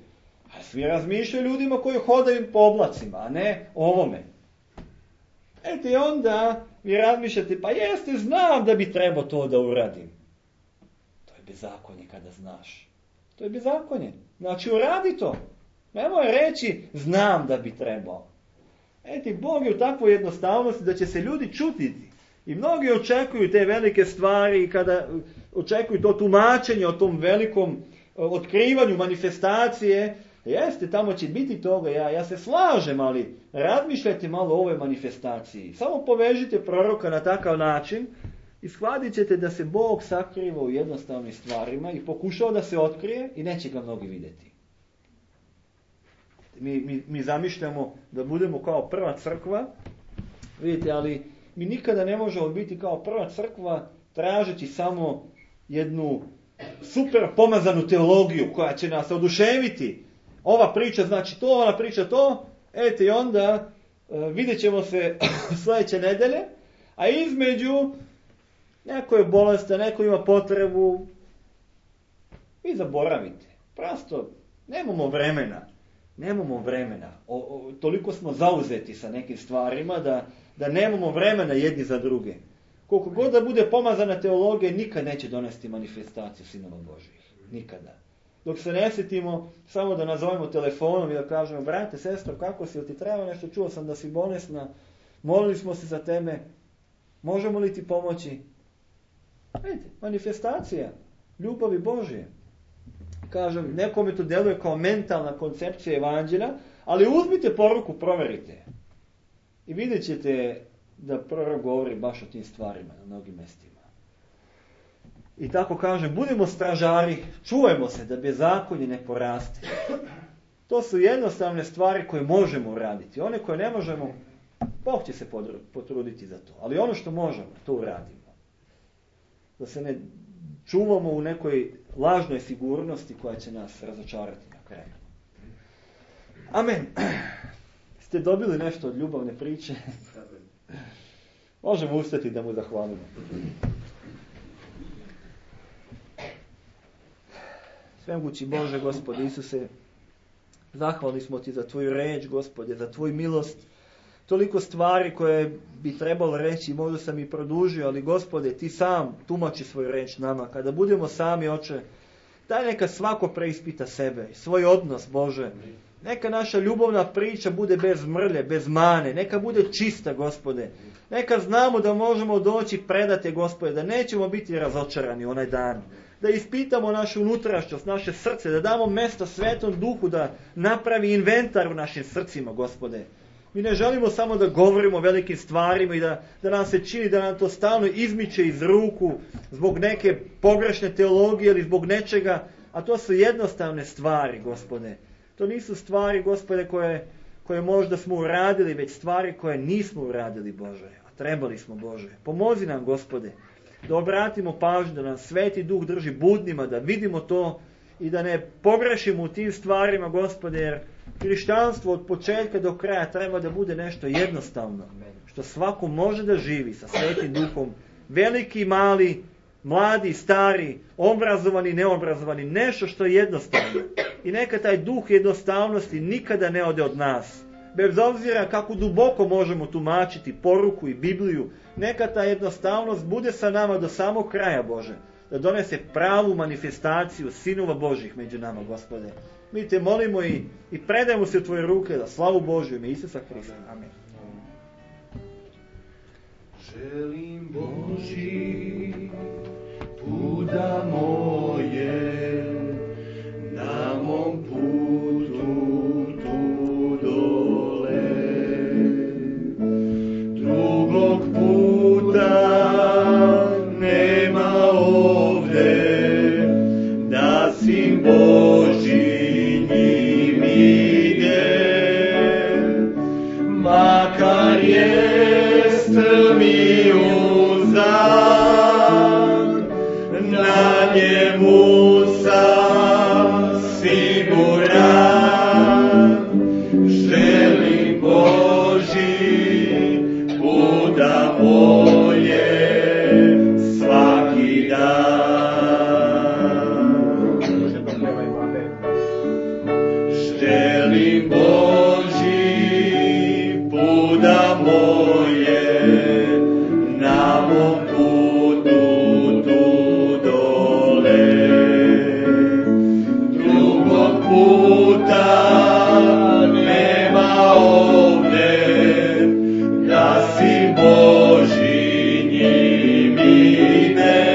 [SPEAKER 1] A svi razmišljaju ljudima koji hodaju po oblacima, a ne ovome. Eto i onda vi razmišljate, pa jeste, znam da bi trebao to da uradim. To je bezakonje kada znaš. To je bezakonje. Znači, uradi to. Nemoj reći, znam da bi trebao. Eto, Bog je u takvoj jednostavnosti da će se ljudi čutiti. I mnogi očekuju te velike stvari, kada očekuju to tumačenje o tom velikom otkrivanju manifestacije. Jeste, tamo će biti toga, ja, ja se slažem, ali razmišljajte malo o ovoj manifestaciji. Samo povežite proroka na takav način i shvatit ćete da se Bog sakriva u jednostavnim stvarima i pokušao da se otkrije i neće ga mnogi vidjeti. Mi, mi, mi zamišljamo da budemo kao prva crkva, vidite, ali mi nikada ne možemo biti kao prva crkva tražeći samo jednu super pomazanu teologiju koja će nas oduševiti. Ova priča znači to, ona priča to, eto i onda e, vidjet ćemo se sljedeće nedelje, a između neko je bolestan, neko ima potrebu, vi zaboravite. Prosto, nemamo vremena. Nemamo vremena. O, o, toliko smo zauzeti sa nekim stvarima da, da nemamo vremena jedni za druge. Koliko god da bude pomazana teologija, nikad neće donesti manifestaciju sinova Božjih. Nikada. Dok se ne sjetimo, samo da nazovemo telefonom i da kažemo, brate, sestro, kako si, ili ti treba nešto, čuo sam da si bolesna, molili smo se za teme, možemo li ti pomoći? Vidite, manifestacija ljubavi Božje. Kažem, nekome to deluje kao mentalna koncepcija evanđelja, ali uzmite poruku, proverite. I vidjet ćete da prorok govori baš o tim stvarima na mnogim mjestima. I tako kažem, budemo stražari, čujemo se da bezakonje ne poraste. To su jednostavne stvari koje možemo uraditi. One koje ne možemo, Bog će se potruditi za to. Ali ono što možemo, to uradimo. Da se ne čuvamo u nekoj lažnoj sigurnosti koja će nas razočarati na kraju. Amen. Ste dobili nešto od ljubavne priče? Možemo ustati da mu zahvalimo. Svemogući Bože, Gospode Isuse, zahvalni smo ti za tvoju reč, Gospode, za tvoju milost. Toliko stvari koje bi trebalo reći, možda sam i produžio, ali Gospode, ti sam tumači svoju reč nama. Kada budemo sami, Oče, daj neka svako preispita sebe, svoj odnos, Bože. Neka naša ljubavna priča bude bez mrlje, bez mane, neka bude čista, Gospode. Neka znamo da možemo doći predate, Gospode, da nećemo biti razočarani onaj dan. Da ispitamo našu unutrašnjost, naše srce, da damo mjesto Svetom Duhu da napravi inventar u našim srcima, Gospode. Mi ne želimo samo da govorimo o velikim stvarima i da, da nam se čini da nam to stalno izmiče iz ruku zbog neke pogrešne teologije ili zbog nečega, a to su jednostavne stvari, Gospode. To nisu stvari, Gospode, koje, koje možda smo uradili, već stvari koje nismo uradili, Bože. A trebali smo, Bože. Pomozi nam, Gospode, da obratimo pažnju, da nam Sveti Duh drži budnima, da vidimo to i da ne pogrešimo u tim stvarima, Gospode, jer hrišćanstvo od početka do kraja treba da bude nešto jednostavno, što svako može da živi sa Svetim Duhom, veliki i mali, mladi, stari, obrazovani, neobrazovani, nešto što je jednostavno. I neka taj duh jednostavnosti nikada ne ode od nas. Bez obzira kako duboko možemo tumačiti poruku i Bibliju, neka ta jednostavnost bude sa nama do samog kraja, Bože. Da donese pravu manifestaciju sinova Božih među nama, Gospode. Mi te molimo i, i predajemo se u tvoje ruke za slavu Božju ime Isusa Hrista. Amen.
[SPEAKER 2] Želim Boži puta moje na mom putu tu dole. Drugog puta nema ovde da Sin Boži njim ide. Makar jest mi uzdan na njemu sam siguran, želim Božji put da moje svaki dan. Želim Božji put da moje na mom putu tu dole. Drugog puta nema ovde, da si Božji njim ide.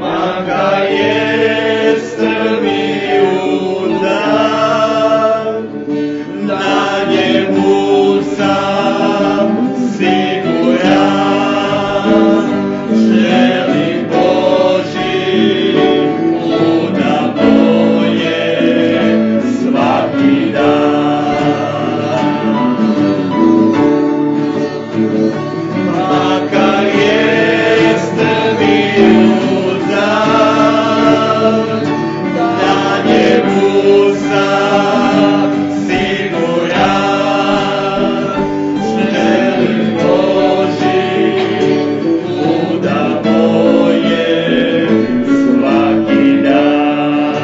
[SPEAKER 2] Maka je strmi uzdan, na njemu sam siguran, želim Božji put da moje svaki dan. Makar jeste mi uzdan, na njemu sam siguran, želim Božji put da moje svaki dan.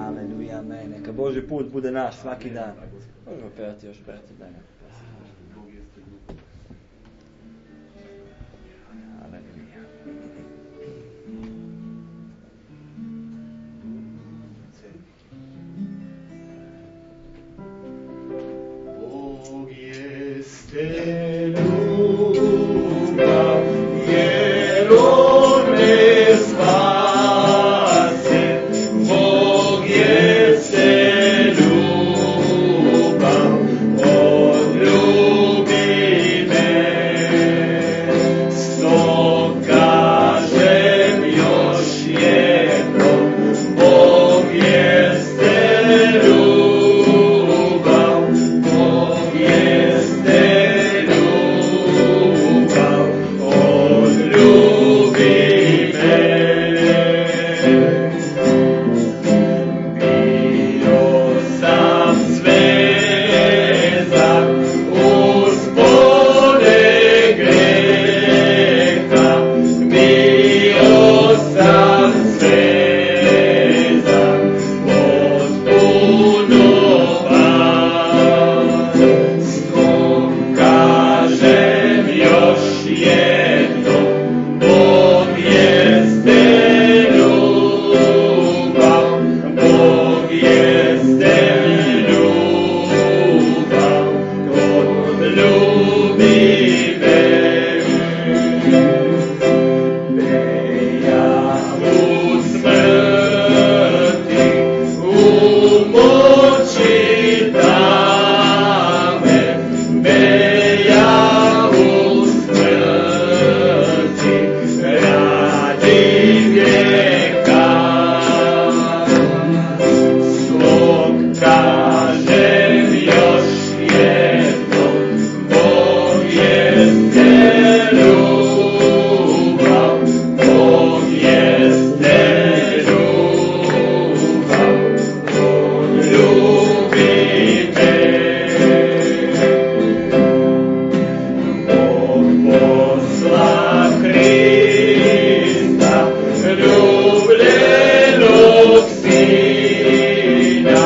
[SPEAKER 1] Aleluja, amen. Neka Božji put bude naš svaki dan. Možemo pevati još, brate, daj nam. Aleluja.
[SPEAKER 2] Bog jeste ljubav, jer On me spase. Bog jeste ljubav, On ljubi me. Stog kažem još jednom, Bog jeste ljubav, Bog jeste ljubav, On ljubi me. Bio sam svezak uspone greha, bio sam svezak potpunovan. Stog kažem još jednom, Bog jeste ljubav, Bog jeste ljubav, On ljubi me. Beja u smrti, u moći tame, beja u smrti, radi grijeha. Stog kažem još jednom, Bog jeste ljubav, Bog jeste ljubav, On ljubi me. Bog posla Hrista, ljubljenog Sina,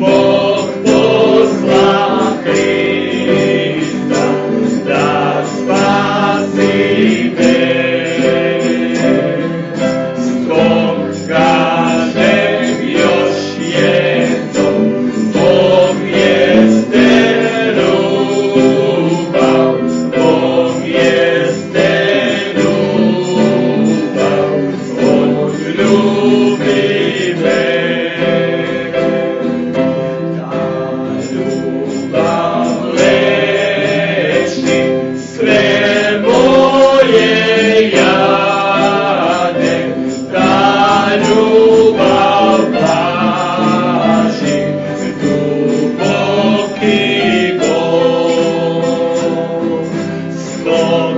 [SPEAKER 2] Bog posla Hrista, da spasi me. Stog kažem još jednom, Bog jeste ljubav, Bog jeste ljubav, On ljubi me. Ta ljubav leči sve moje jade, ta ljubav blaži duboki bol. Stog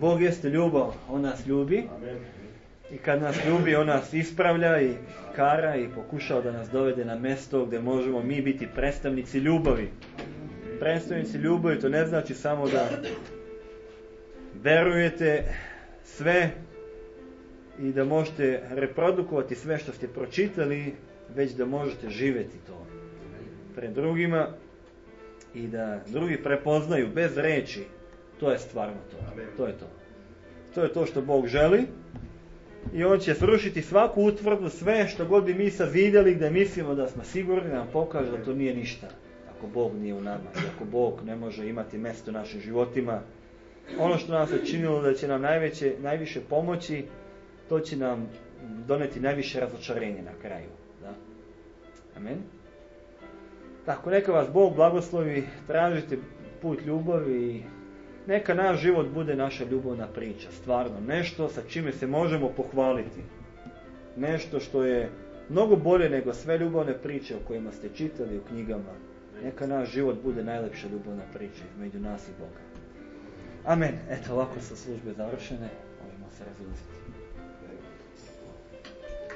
[SPEAKER 1] Bog jeste ljubav, On nas ljubi.
[SPEAKER 2] Amen.
[SPEAKER 1] I kad nas ljubi, On nas ispravlja i kara i pokušao da nas dovede na mjesto gdje možemo mi biti predstavnici ljubavi. Predstavnici ljubavi, to ne znači samo da verujete sve i da možete reprodukovati sve što ste pročitali, već da možete živjeti to pred drugima i da drugi prepoznaju bez reči. To je stvarno to. To je to. To je to što Bog želi. I On će srušiti svaku utvrdu, sve što god bi mi sad vidjeli gdje mislimo da smo sigurni, nam pokaže da to nije ništa. Ako Bog nije u nama i ako Bog ne može imati mjesto u našim životima. Ono što nam se činilo da će nam najveće, najviše pomoći, to će nam doneti najviše razočarenje na kraju. Da? Amen. Tako, neka vas Bog blagoslovi, tražite put ljubavi i neka naš život bude naša ljubavna priča. Stvarno, nešto sa čime se možemo pohvaliti. Nešto što je mnogo bolje nego sve ljubavne priče o kojima ste čitali u knjigama. Neka naš život bude najlepša ljubavna priča između nas i Boga. Amen. Eto, ovako su službe završene. Možemo se razilaziti.